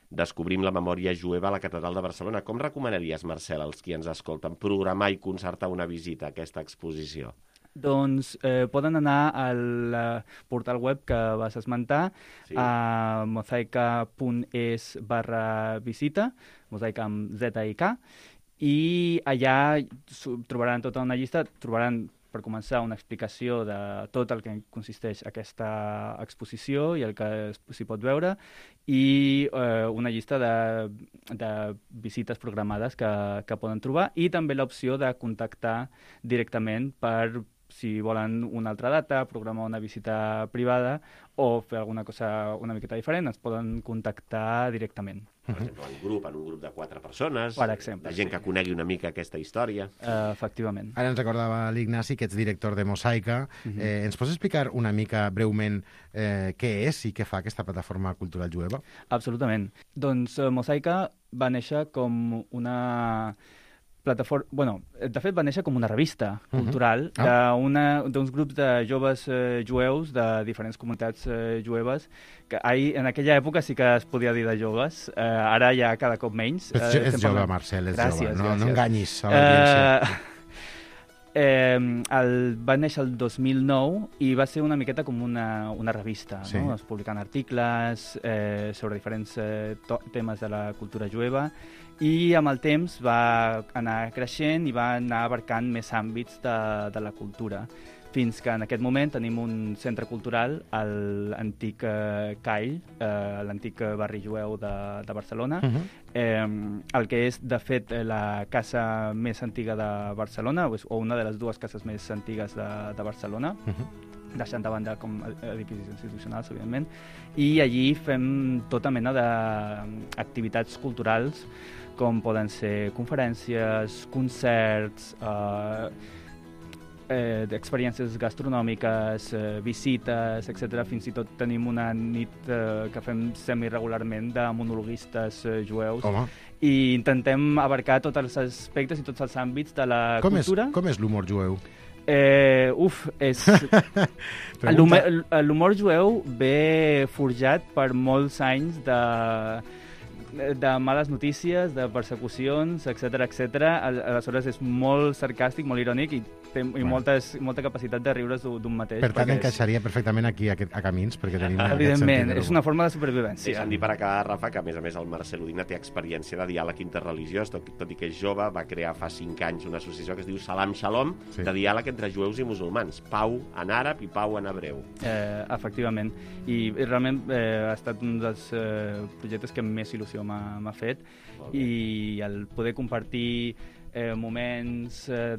Descobrim la memòria jueva a la Catedral de Barcelona. Com recomanaries, Marcel, als qui ens escolten, programar i concertar una visita a aquesta exposició? Doncs eh, poden anar al uh, portal web que vas esmentar, sí. a mosaica punt es barra visita, mosaica amb Z i K, i allà trobaran tota una llista, trobaran per començar una explicació de tot el que consisteix aquesta exposició i el que s'hi pot veure, i eh, una llista de, de visites programades que, que poden trobar, i també l'opció de contactar directament per si volen una altra data, programar una visita privada o fer alguna cosa una miqueta diferent, ens poden contactar directament. Per exemple, en grup, en un grup de quatre persones, per exemple, de gent sí. que conegui una mica aquesta història. Uh, efectivament. Ara ens recordava l'Ignasi, que ets director de Mosaica. Uh-huh. eh, ens pots explicar una mica breument eh, què és i què fa aquesta plataforma cultural jueva? Absolutament. Doncs uh, Mosaica va néixer com una plataforma... Bueno, de fet va néixer com una revista cultural uh-huh. ah. d'uns grups de joves eh, jueus de diferents comunitats eh, jueves, que ahir, en aquella època sí que es podia dir de joves, eh, ara ja cada cop menys. Eh, és és jove, Marcel, és gràcies, jove, no, gràcies. no enganyis a l'audiència. Eh, Eh, el, va néixer el dos mil nou i va ser una miqueta com una, una revista, sí. no? Es publicant articles eh, sobre diferents eh, to- temes de la cultura jueva, i amb el temps va anar creixent i va anar abarcant més àmbits de, de la cultura, fins que en aquest moment tenim un centre cultural a l'antic eh, Call, eh, l'antic barri jueu de, de Barcelona, uh-huh. eh, el que és, de fet, la casa més antiga de Barcelona, o una de les dues cases més antigues de, de Barcelona, uh-huh. deixant de banda com edificis institucionals, evidentment, i allí fem tota mena d'activitats culturals, com poden ser conferències, concerts, eh, eh, d'experiències gastronòmiques, eh, visites, etcètera. Fins i tot tenim una nit eh, que fem semiregularment de monologuistes eh, jueus. Home. I intentem abarcar tots els aspectes i tots els àmbits de la Com és, cultura. com és l'humor jueu? Eh, uf, és... L'humor l'humor jueu ve forjat per molts anys de, de males notícies, de persecucions, etcètera, etcètera. Aleshores és molt sarcàstic, molt irònic i té i moltes, molta capacitat de riure's d'un mateix. Per tant, és... encaixaria perfectament aquí a, a Camins, perquè tenim aquest Evidentment, sentit de és una forma de supervivència. Deixa'm dir per acabar, Rafa, que a més a més el Marcel Udina té experiència de diàleg interreligiós, tot, tot i que és jove, va crear fa cinc anys una associació que es diu Salam Shalom, sí. de diàleg entre jueus i musulmans. Pau en àrab i pau en hebreu. Eh, efectivament. I, i realment eh, ha estat un dels eh, projectes que més il·lusió m'ha fet. I el poder compartir eh, moments eh,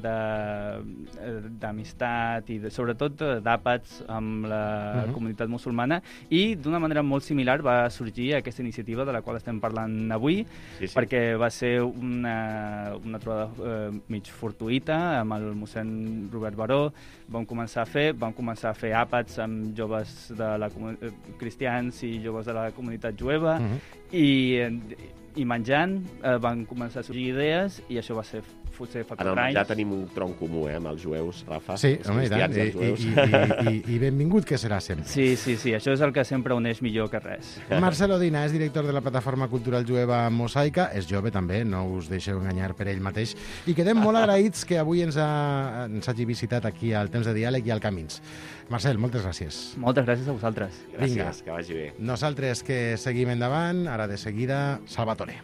d'amistat i de, sobretot d'àpats amb la uh-huh. comunitat musulmana, i d'una manera molt similar va sorgir aquesta iniciativa de la qual estem parlant avui, sí, sí. perquè va ser una, una trobada eh, mig fortuïta amb el mossèn Robert Baró. Vam començar a fer, vam començar a fer àpats amb joves de la cristians i joves de la comunitat jueva, uh-huh. i i menjant eh, van començar a sorgir idees i això va ser potser fa quatre anys. En el menjar tenim un tronc comú, eh, amb els jueus, Rafa. Sí, home, i tant. I, i, i, i, I benvingut que serà sempre. Sí, sí, sí, això és el que sempre uneix millor que res. Marcel Udina és director de la plataforma cultural jueva Mosaica, és jove també, no us deixeu enganyar per ell mateix, i quedem molt agraïts que avui ens, ha, ens hagi visitat aquí al Temps de Diàleg i al Camins. Marcel, moltes gràcies. Moltes gràcies a vosaltres. Gràcies, Vinga. Que vagi bé. Nosaltres que seguim endavant, ara de seguida, Salvatore.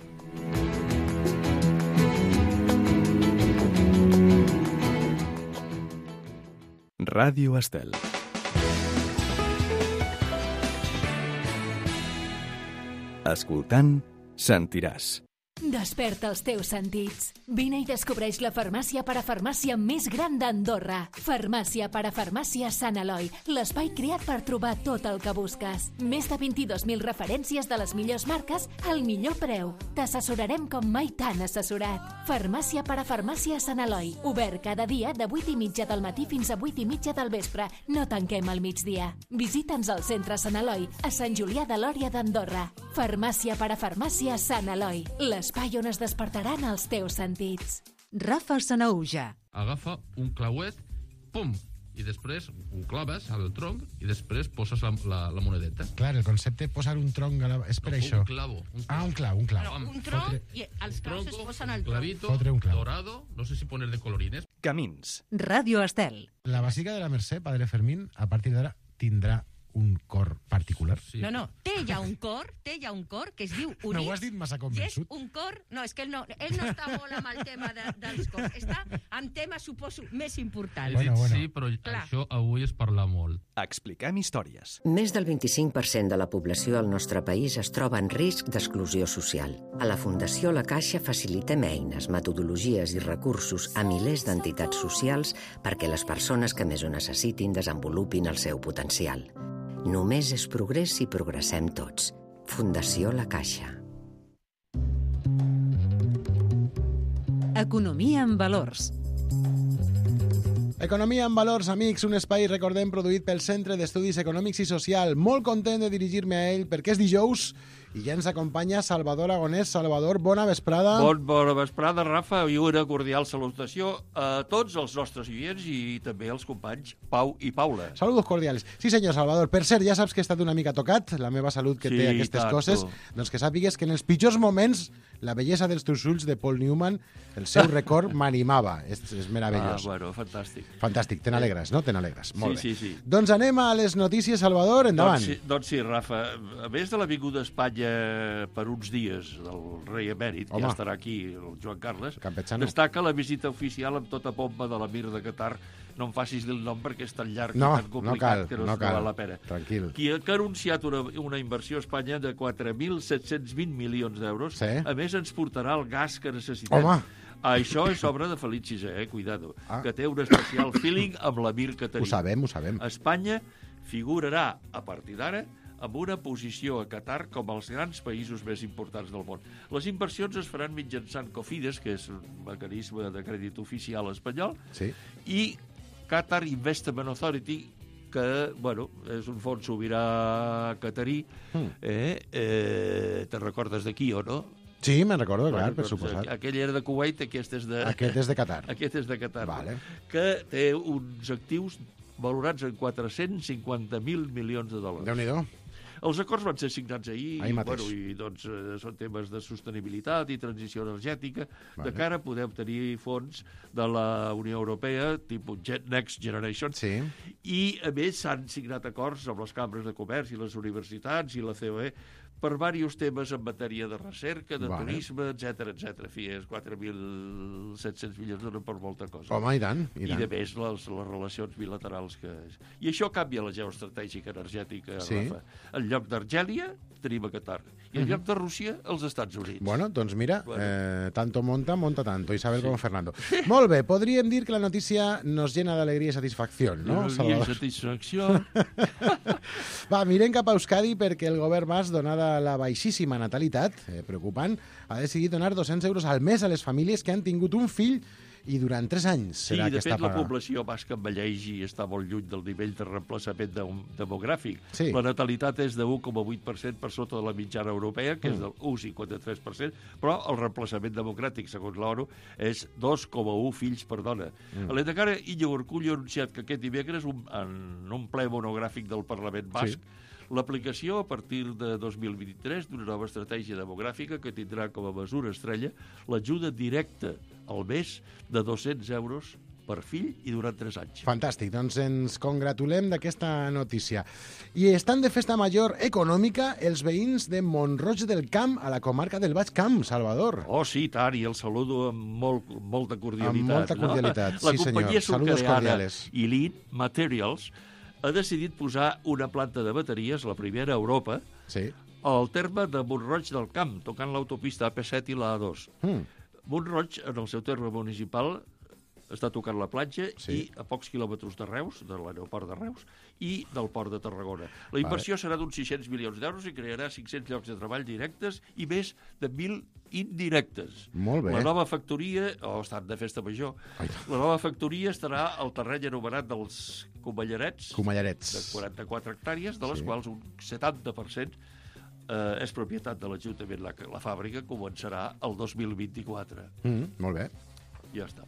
Ràdio Estel. Escoltant, sentiràs. Desperta els teus sentits. Vine i descobreix la farmàcia parafarmàcia més gran d'Andorra. Farmàcia parafarmàcia Sant Eloi, l'espai creat per trobar tot el que busques. Més de vint-i-dos mil referències de les millors marques al millor preu. T'assessorarem com mai t'han assessorat. Farmàcia parafarmàcia Sant Eloi, obert cada dia de vuit i mitja del matí fins a vuit i mitja del vespre. No tanquem al migdia. Visita'ns al centre Sant Eloi, a Sant Julià de Lòria d'Andorra. Farmàcia parafarmàcia Sant Eloi, l'espai on es despertaran els teus sentits. Rafa Sanaúja. Agafa un clauet, pum, i després ho claves al tronc i després poses la, la, la monedeta. Clar, el concepte posar un tronc a la... és per no, això. Un clavo. Un clavo. Ah, un clau, un clau. Bueno, un tronc Fotre... i els claus es posen al tronc. Clavito, un clau. dorado, no sé si poner de colorines. Camins. Ràdio Estel. La Bàsica de la Mercè, Padre Fermín, a partir d'ara tindrà un cor particular. Sí. No, no, té ja un cor, té ja un cor que es diu Units. No ho has dit massa convençut. I és un cor... No, és que ell no, ell no està molt amb el tema de, dels cors. Està en temes, suposo, més importants. He dit bueno, bueno. sí, però Clar. Això avui es parla molt. Expliquem històries. Més del vint-i-cinc per cent de la població al nostre país es troba en risc d'exclusió social. A la Fundació La Caixa facilitem eines, metodologies i recursos a milers d'entitats socials perquè les persones que més ho necessitin desenvolupin el seu potencial. Només és progrés si progressem tots. Fundació La Caixa. Economia en valors. Economia en valors, amics, un espai, recordem, produït pel Centre d'Estudis Econòmics i Social. Molt content de dirigir-me a ell perquè és dijous i ja ens acompanya Salvador Agonés. Salvador, bona vesprada. Bon, bona vesprada, Rafa, i una cordial salutació a tots els nostres oients i també als companys Pau i Paula. Saludos cordials. Sí, senyor Salvador. Per cert, ja saps que he estat una mica tocat, la meva salut que sí, té aquestes tanto. coses. Doncs que sàpigues que en els pitjors moments la bellesa dels teus ulls de Paul Newman, el seu record m'animava. És, és meravellós. Ah, bueno, fantàstic. Fantàstic, te n'alegres, no? Te n'alegres. Molt sí, bé. sí, sí. Doncs anem a les notícies, Salvador, endavant. Doncs sí, doncs sí, Rafa, a més de l'avinguda a Espanya per uns dies del rei emèrit, Home. ja estarà aquí el Joan Carles, Campechano. Destaca la visita oficial amb tota pompa de l'emir de Qatar. No em facis dir el nom perquè és tan llarg no, i tan complicat no cal, que no, no no cal. val la pena. Tranquil. Qui ha, que ha anunciat una, una inversió a Espanya de quatre mil set-cents vint milions d'euros. Sí. A més, ens portarà el gas que necessitem. Home. Això és obra de Felip sisè, eh? Cuidado. Ah. Que té un especial feeling amb l'emir que tenim. Ho sabem, ho sabem. Espanya figurarà, a partir d'ara, amb una posició a Qatar com els grans països més importants del món. Les inversions es faran mitjançant Cofides, que és un mecanisme de crèdit oficial espanyol, sí. i Qatar Investment Authority, que, bueno, és un fons sobirà catarí. Mm. Eh? Eh, te recordes d'aquí, o no? Sí, me'n recordo, clar, bueno, per doncs, suposat. Aquell era de Kuwait, aquest és de... Aquest és de Qatar. Aquest és de Qatar. Vale. Que té uns actius valorats en quatre-cents cinquanta mil milions de dòlars. Déu-n'hi-do. Els acords van ser signats ahir, ahir i, mateix. bueno, i doncs, eh, són temes de sostenibilitat i transició energètica, vale. de cara a poder obtenir fons de la Unió Europea, tipus Next Generation, sí. I a més s'han signat acords amb les cambres de comerç i les universitats i la C O E per diversos temes en matèria de recerca, de vale. turisme, etcètera, etcètera. En fi, és quatre mil set-cents milions donen per molta cosa. Home, i tant. I, I tant. de més, les, les relacions bilaterals que... I això canvia la geoestratègica energètica, sí. Rafa. En lloc d'Argèlia, tenim a Qatar. I en lloc de Rússia, els Estats Units. Bueno, doncs mira, bueno. eh, tanto monta, monta tanto. Isabel sí. como Fernando. Molt bé, podríem dir que la notícia nos llena d'alegria i satisfacció, no, Salvador? Satisfacció. Va, mirem cap a Euskadi perquè el govern basc, donada la baixíssima natalitat, eh, preocupant, ha decidit donar dos-cents euros al mes a les famílies que han tingut un fill i durant tres anys sí, serà de aquesta fet, la paga. població basca envelleix i està molt lluny del nivell de reemplaçament de, demogràfic. Sí. La natalitat és de un coma vuit per cent per sota de la mitjana europea, que mm. és del un coma cinquanta-tres per cent, però el reemplaçament democràtic, segons l'ONU, és dos coma un fills per dona. Mm. L'Endacara Íñigo Urkullu ha anunciat que aquest dimecres, un, en un ple monogràfic del Parlament basc, sí. L'aplicació a partir de dos mil vint-i-tres d'una nova estratègia demogràfica que tindrà com a mesura estrella l'ajuda directa al mes de dos-cents euros per fill i durant tres anys. Fantàstic, doncs ens congratulem d'aquesta notícia. I estan de festa major econòmica els veïns de Mont-roig del Camp, a la comarca del Baix Camp, Salvador. Oh, sí, tant, i el saludo amb molt, molta cordialitat. Amb molta cordialitat, no? sí senyor. La companyia sucreana Elite Materials ha decidit posar una planta de bateries, la primera a Europa, sí. al terme de Mont-roig del Camp, tocant l'autopista A P set i la A dos. Mm. Mont-roig, en el seu terme municipal, està tocant la platja sí. i a pocs quilòmetres de Reus, de l'aeroport de Reus, i del port de Tarragona. La inversió vale. serà d'uns sis-cents milions d'euros i crearà cinc-cents llocs de treball directes i més de mil indirectes. Molt bé. La nova factoria, o oh, estan de festa major, Ai. la nova factoria estarà al terreny anomenat dels Comallarets, Comallarets. de quaranta-quatre hectàrees, de les sí. quals un setanta per cent eh, és propietat de l'Ajuntament. La, la fàbrica començarà el dos mil vint-i-quatre. Mm, molt bé. Ja està.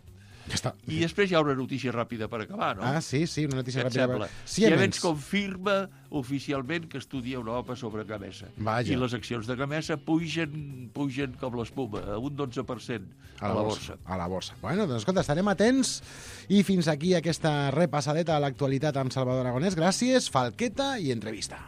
Ja està. I després hi ha una notícia ràpida per acabar, no? Ah, sí, sí, una notícia ràpida. Per... Siemens confirma oficialment que estudia una O P A sobre Gamesa. Vaja. I les accions de Gamesa pugen, pugen com l'espuma, a un dotze per cent a, a la borsa. A la borsa. Bueno, doncs escolta, estarem atents. I fins aquí aquesta repassadeta a l'actualitat amb Salvador Aragonès. Gràcies, falqueta i entrevista.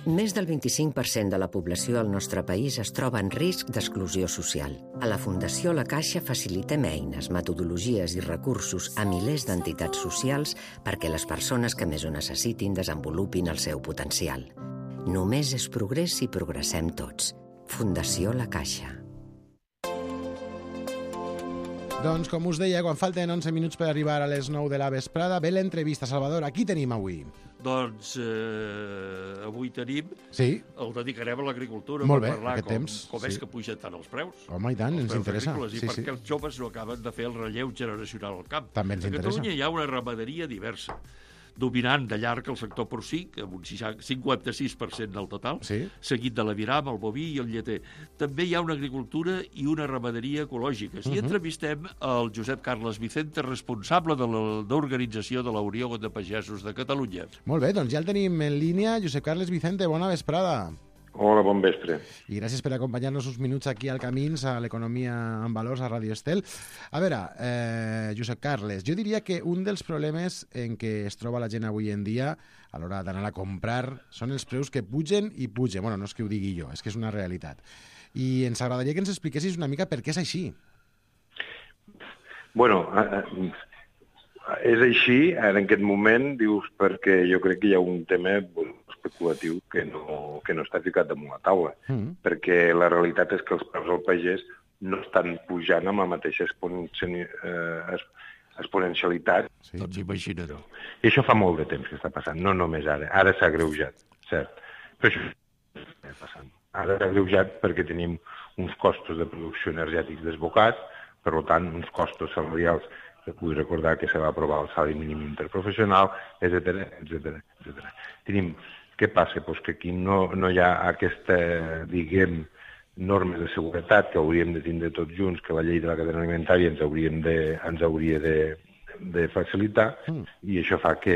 Més del vint-i-cinc per cent de la població al nostre país es troba en risc d'exclusió social. A la Fundació La Caixa facilitem eines, metodologies i recursos a milers d'entitats socials perquè les persones que més ho necessitin desenvolupin el seu potencial. Només és progrés si progressem tots. Fundació La Caixa. Doncs, com us deia, quan falten onze minuts per arribar a les nou de la vesprada, ve l'entrevista. Salvador, aquí tenim avui. Doncs eh, avui tenim... Sí. El dedicarem a l'agricultura Molt per bé, parlar aquest com, temps, com sí. és que pugen tant els preus. Home, i tant, ens interessa. I sí, perquè sí. els joves no acaben de fer el relleu generacional al camp. També ens a interessa. Catalunya hi ha una ramaderia diversa, dominant de llarg el sector porcí, amb un cinquanta-sis per cent del total, sí. seguit de l'aviram, el boví i el lleter. També hi ha una agricultura i una ramaderia ecològiques. Uh -huh. I entrevistem el Josep Carles Vicente, responsable de l'organització de la Unió de Pagesos de Catalunya. Molt bé, doncs ja el tenim en línia. Josep Carles Vicente, bona vesprada. Hola, bon vespre. I gràcies per acompanyar-nos uns minuts aquí al Camins, a l'Economia en Valors, a Ràdio Estel. A veure, eh, Josep Carles, jo diria que un dels problemes en què es troba la gent avui en dia a l'hora d'anar a comprar són els preus que pugen i pugen. Bueno, no és que ho digui jo, és que és una realitat. I ens agradaria que ens expliquessis una mica per què és així. Bueno, eh, és així, en aquest moment, dius, perquè jo crec que hi ha un tema especulatiu que no, que no està ficat damunt la taula, mm. perquè la realitat és que els preus al pagès no estan pujant amb la mateixa exponencialitat. Sí. Doncs imagina't. I això fa molt de temps que està passant, no només ara. Ara s'ha agreujat, cert. Però això està passant. Ara s'ha agreujat perquè tenim uns costos de producció energètics desbocats, Per tant, uns costos salarials, vull recordar que se va aprovar el salari mínim interprofessional, etcètera, etcètera, etcètera. Tenim, què passa? Pues que aquí no, no hi ha aquesta, diguem, normes de seguretat que hauríem de tindre tots junts, que la llei de la cadena alimentària ens, hauríem de, ens hauria de, de facilitar, mm. i això fa que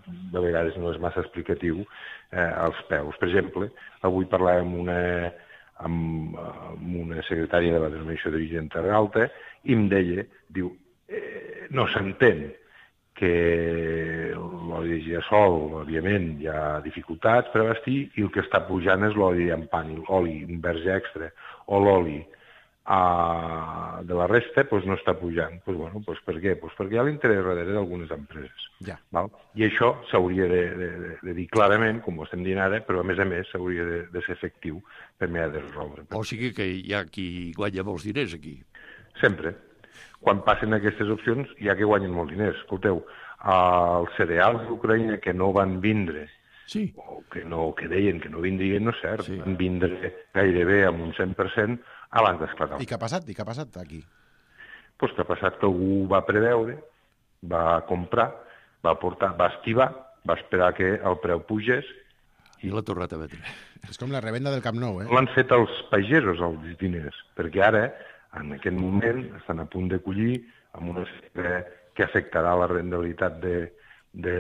de vegades no és massa explicatiu eh, als peus. Per exemple, avui parlàvem una, amb, amb una secretària de la denominació d'origen Terra Alta i em deia, diu, eh, no s'entén que l'oli de girassol, òbviament, hi ha dificultats per abastir i el que està pujant és l'oli llampant, l'oli verge extra o l'oli Uh, de la resta pues, no està pujant. Pues, bueno, pues, per què? Pues perquè hi ha l'interès darrere d'algunes empreses. Ja. Val? I això s'hauria de, de, de dir clarament, com ho estem dient ara, però a més a més s'hauria de, de ser efectiu per mirar de resoldre. O sigui que hi ha qui guanya molts diners aquí. Sempre. Quan passen aquestes opcions hi ha que guanyen molts diners. Escolteu, els cereals d'Ucraïna que no van vindre, sí. o que, no, que deien que no vindrien, no és cert, sí. Van vindre gairebé amb un cent per cent abans d'esclatar. I què ha passat? I què ha passat aquí? Pues que ha passat que algú va preveure, va comprar, va portar, va estivar, va esperar que el preu pugés i l'ha tornat a vendre. És com la revenda del Camp Nou, eh? L'han fet els pagesos, els diners, perquè ara, en aquest moment, estan a punt de collir amb una sequera que afectarà la rendibilitat de, de,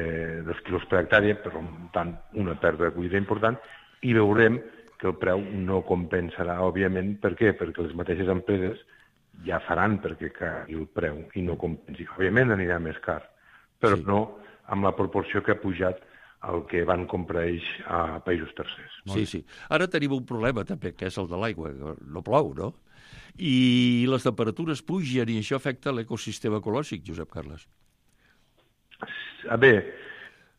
dels quilos per hectàrea, per tant, una pèrdua de collita important, i veurem que el preu no compensarà, òbviament. Per què? Perquè les mateixes empreses ja faran perquè caigui el preu i no compensi. Òbviament anirà més car, però sí. No amb la proporció que ha pujat el que van comprar ells a països tercers. Sí, sí. Ara tenim un problema també, que és el de l'aigua. No plou, no? I les temperatures pugen i això afecta l'ecosistema ecològic, Josep Carles. A bé,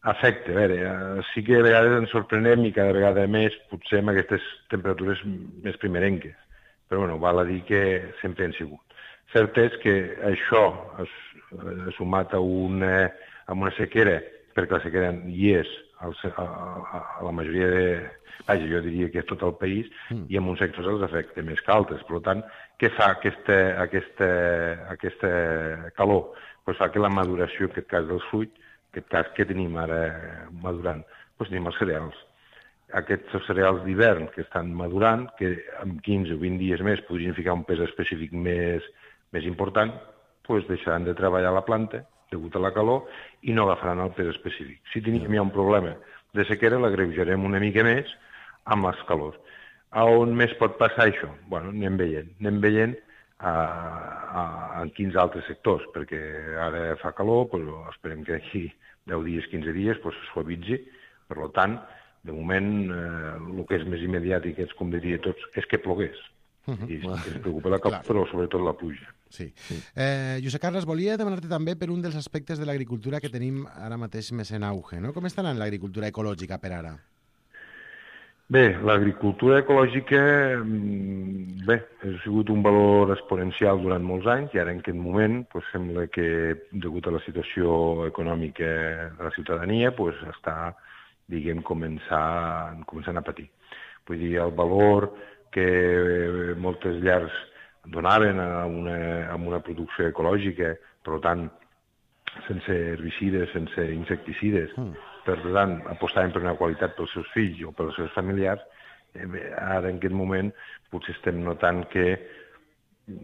afecta, a veure, sí que a vegades ens sorprenem i cada vegada més potser amb aquestes temperatures més primerenques, però bueno, val a dir que sempre han sigut. Cert és que això és, és sumat a una, a una sequera, perquè la sequera hi és a, a, a la majoria de... Vaja, jo diria que és tot el país, mm. i en uns sectors els afecta més que altres. Per tant, què fa aquesta, aquesta, aquesta calor? Pues fa que la maduració, en aquest cas del fruit, en aquest cas que tenim ara madurant, doncs tenim els cereals. Aquests cereals d'hivern que estan madurant, que en quinze o vint dies més podrien ficar un pes específic més, més important, doncs deixaran de treballar la planta, degut a la calor, i no agafaran el pes específic. Si teníem ja un problema de sequera, l'agreujarem una mica més amb les calors. A on més pot passar això? Bueno, anem veient. Anem veient a, a, en quins altres sectors, perquè ara fa calor, però esperem que d'aquí deu dies, quinze dies, doncs es suavitzi. Per tant, de moment, eh, el que és més immediat i que és, com diria tots, és que plogués. Uh -huh. I ens preocupa la calor, però sobretot la pluja. Sí. sí. Eh, Josep Carles, volia demanar-te també per un dels aspectes de l'agricultura que tenim ara mateix més en auge, no? Com està anant l'agricultura ecològica per ara? Bé, l'agricultura ecològica, bé, ha sigut un valor exponencial durant molts anys i ara en aquest moment doncs, sembla que, degut a la situació econòmica de la ciutadania, doncs, està, diguem, començant, començant a patir. Vull dir, el valor que moltes llars donaven a una, a una producció ecològica, per tant, sense herbicides, sense insecticides, mm. per tant, apostaven per una qualitat pels seus fills o pels seus familiars, eh, ara en aquest moment potser estem notant que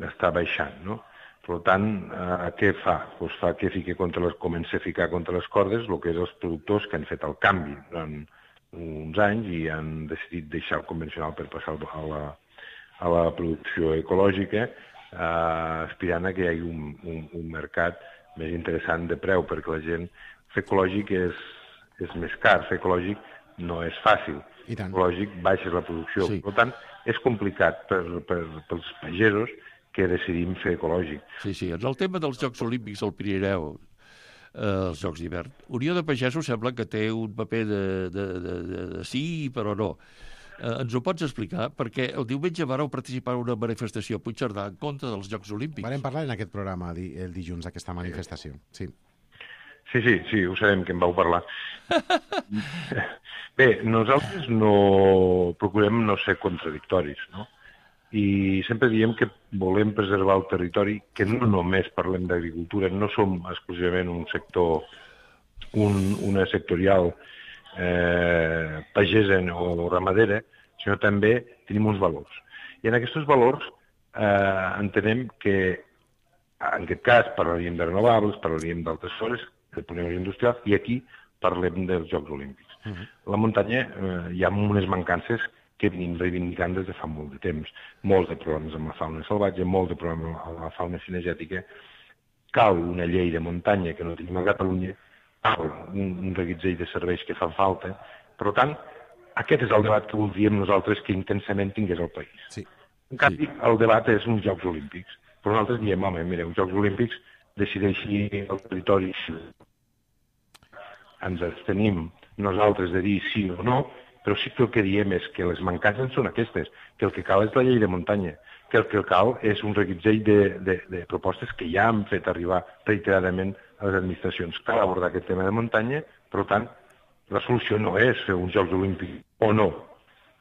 està baixant, no? Per tant, eh, què fa? Pues fa que fique contra les, comença a ficar contra les cordes el que és els productors que han fet el canvi durant uns anys i han decidit deixar el convencional per passar a la, a la producció ecològica, eh, aspirant a que hi hagi un, un, un mercat més interessant de preu, perquè la gent, fer ecològic és, és més car, fer ecològic no és fàcil. Ecològic baixes la producció. Sí. Per tant, és complicat per, per, pels pagesos que decidim fer ecològic. Sí, sí. En el tema dels Jocs Olímpics al Pirineu, eh, els Jocs d'hivern, Unió de Pagesos sembla que té un paper de, de, de, de, de sí, però no. Eh, ens ho pots explicar? Perquè el diumenge vareu participar en una manifestació a Puigcerdà en contra dels Jocs Olímpics. Varem parlar en aquest programa el dilluns d'aquesta manifestació, sí. Sí, sí, sí, ho sabem que en vau parlar. Bé, nosaltres no procurem no ser contradictoris, no? i sempre diem que volem preservar el territori, que no només parlem d'agricultura, no som exclusivament un sector, un, una sectorial eh, pagesa o ramadera, sinó també tenim uns valors. I en aquests valors eh, entenem que, en aquest cas, parlaríem de renovables, parlaríem d'altres coses, de polígonos industrials, i aquí parlem dels Jocs Olímpics. Uh-huh. La muntanya eh, hi ha unes mancances que venim reivindicant des de fa molt de temps. Molts de problemes amb la fauna salvatge, molts de problemes amb la fauna cinegètica. Cal una llei de muntanya que no tenim a Catalunya, cal un, un reguitzell de serveis que fan falta. Per tant, aquest és el debat que voldríem nosaltres que intensament tingués el país. Sí. En canvi, sí. El debat és uns Jocs Olímpics. Però nosaltres diem, home, mireu, Jocs Olímpics decideixi el territori. Ens abstenim nosaltres de dir sí o no, però sí que el que diem és que les mancances són aquestes, que el que cal és la llei de muntanya, que el que cal és un reguitzell de, de, de propostes que ja han fet arribar reiteradament a les administracions. Cal abordar aquest tema de muntanya, per tant, la solució no és fer uns Jocs Olímpics o no.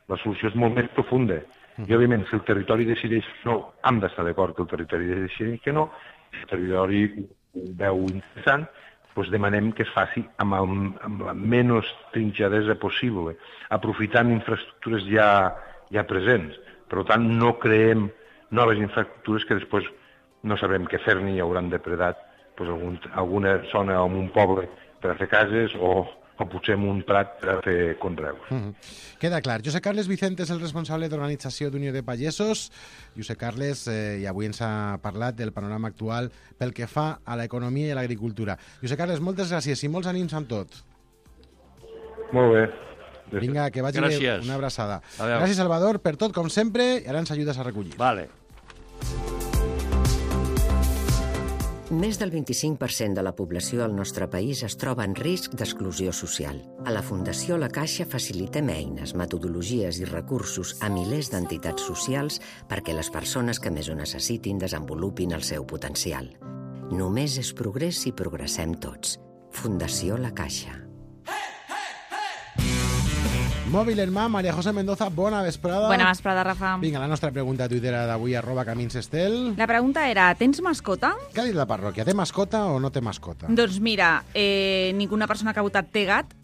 La solució és molt més profunda. I, òbviament, si el territori decideix no, hem d'estar d'acord que el territori decideix que no, si el territori ho veu interessant, doncs demanem que es faci amb, el, amb la menys trinxadesa possible, aprofitant infraestructures ja, ja presents. Per tant, no creem noves infraestructures que després no sabrem què fer-ne i hauran depredat doncs, algun, alguna zona o un poble per a fer cases o, o potser en un prat per a fer conreus. Mm-hmm. Queda clar. Josep Carles Vicente és el responsable d'organització d'Unió de Pagesos. Josep Carles, eh, i avui ens ha parlat del panorama actual pel que fa a l'economia i a l'agricultura. Josep Carles, moltes gràcies i molts ànims amb tot. Molt bé. Vinga, que vagi bé. Una abraçada. Gràcies, Salvador, per tot, com sempre, i ara ens ajudes a recollir. Vale. Més del vint-i-cinc per cent de la població del nostre país es troba en risc d'exclusió social. A la Fundació La Caixa facilitem eines, metodologies i recursos a milers d'entitats socials perquè les persones que més ho necessitin desenvolupin el seu potencial. Només és progrés si progressem tots. Fundació La Caixa. Mòbil en mà, María José Mendoza, bona vesprada. Bona vesprada, Rafa. Vinga, la nostra pregunta a Twitter d'avui, arroba Camins Estel. La pregunta era, tens mascota? Què ha dit la parròquia? Té mascota o no té mascota? Doncs mira, eh, ninguna persona que ha votat té gat.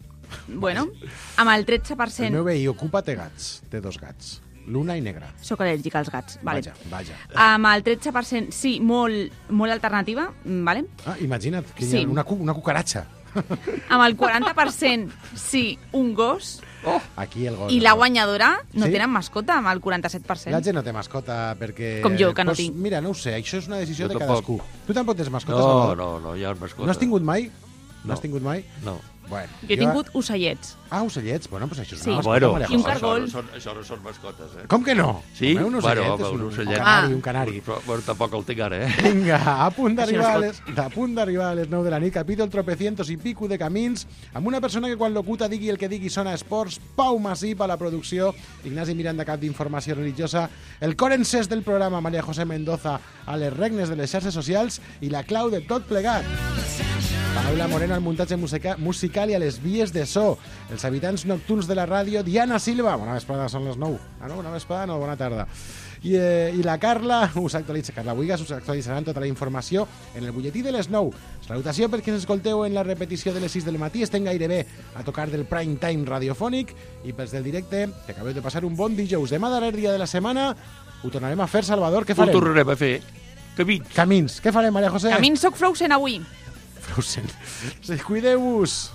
Bueno, amb el tretze per cent... El meu veí ocupa té gats, té dos gats. Luna i negra. Soc al·lèrgica als gats. Vale. Vaja, vaja. Amb el tretze per cent, sí, molt, molt alternativa, vale? Ah, imagina't, que hi Sí. ha una, cu una cucaratxa. Amb el quaranta per cent, sí, un gos. Oh, aquí el gos. I la guanyadora no Sí? tenen mascota, amb el quaranta-set per cent. La gent no té mascota perquè... Com jo, que no pues, tinc. Mira, no ho sé, això és una decisió Jo de tampoc. cadascú. Tu tampoc tens mascota, No, Salvador? no, no, hi ha mascota. No has tingut mai? No, No. has tingut mai? No. Bueno, Jo he tingut ocellets. Ah, ocellets? Bueno, doncs això és Sí. una Ah, mascota, bueno, María I un José. cargol. Això no, són, això no són mascotes, eh? Com que no? Sí? Home, un Bueno, ocellet home, és un un, ocellet. un canari, Ah. un canari. Però, bueno, tampoc el tinc ara, eh? Vinga, a punt d'arribar a Això les, a punt d'arribar a les nou de la nit, capítol tropecientos i pico de camins, amb una persona que quan locuta digui el que digui sona esports, Pau Masip a la producció, Ignasi Miranda, cap d'informació religiosa, el cor encès del programa, María José Mendoza, a les regnes de les xarxes socials i la clau de tot plegat. Paula Moreno al muntatge musica musical i a les vies de so. Els habitants nocturns de la ràdio, Diana Silva. Bona vesprada, són les nou. Ah, no, bona vesprada, no, bona tarda. I, eh, i la Carla, us actualitza, Carla Buigas, us actualitzaran tota la informació en el butlletí de les nou. Salutació per qui ens escolteu en la repetició de les sis del matí. Estem gairebé a tocar del prime time radiofònic i pels del directe, que acabeu de passar un bon dijous. Demà, darrer dia de la setmana, ho tornarem a fer, Salvador. Què Ho farem? tornarem a fer. Camins. Camins. Què farem, María José? Camins soc Frozen avui. Frozen. Cuideu-vos.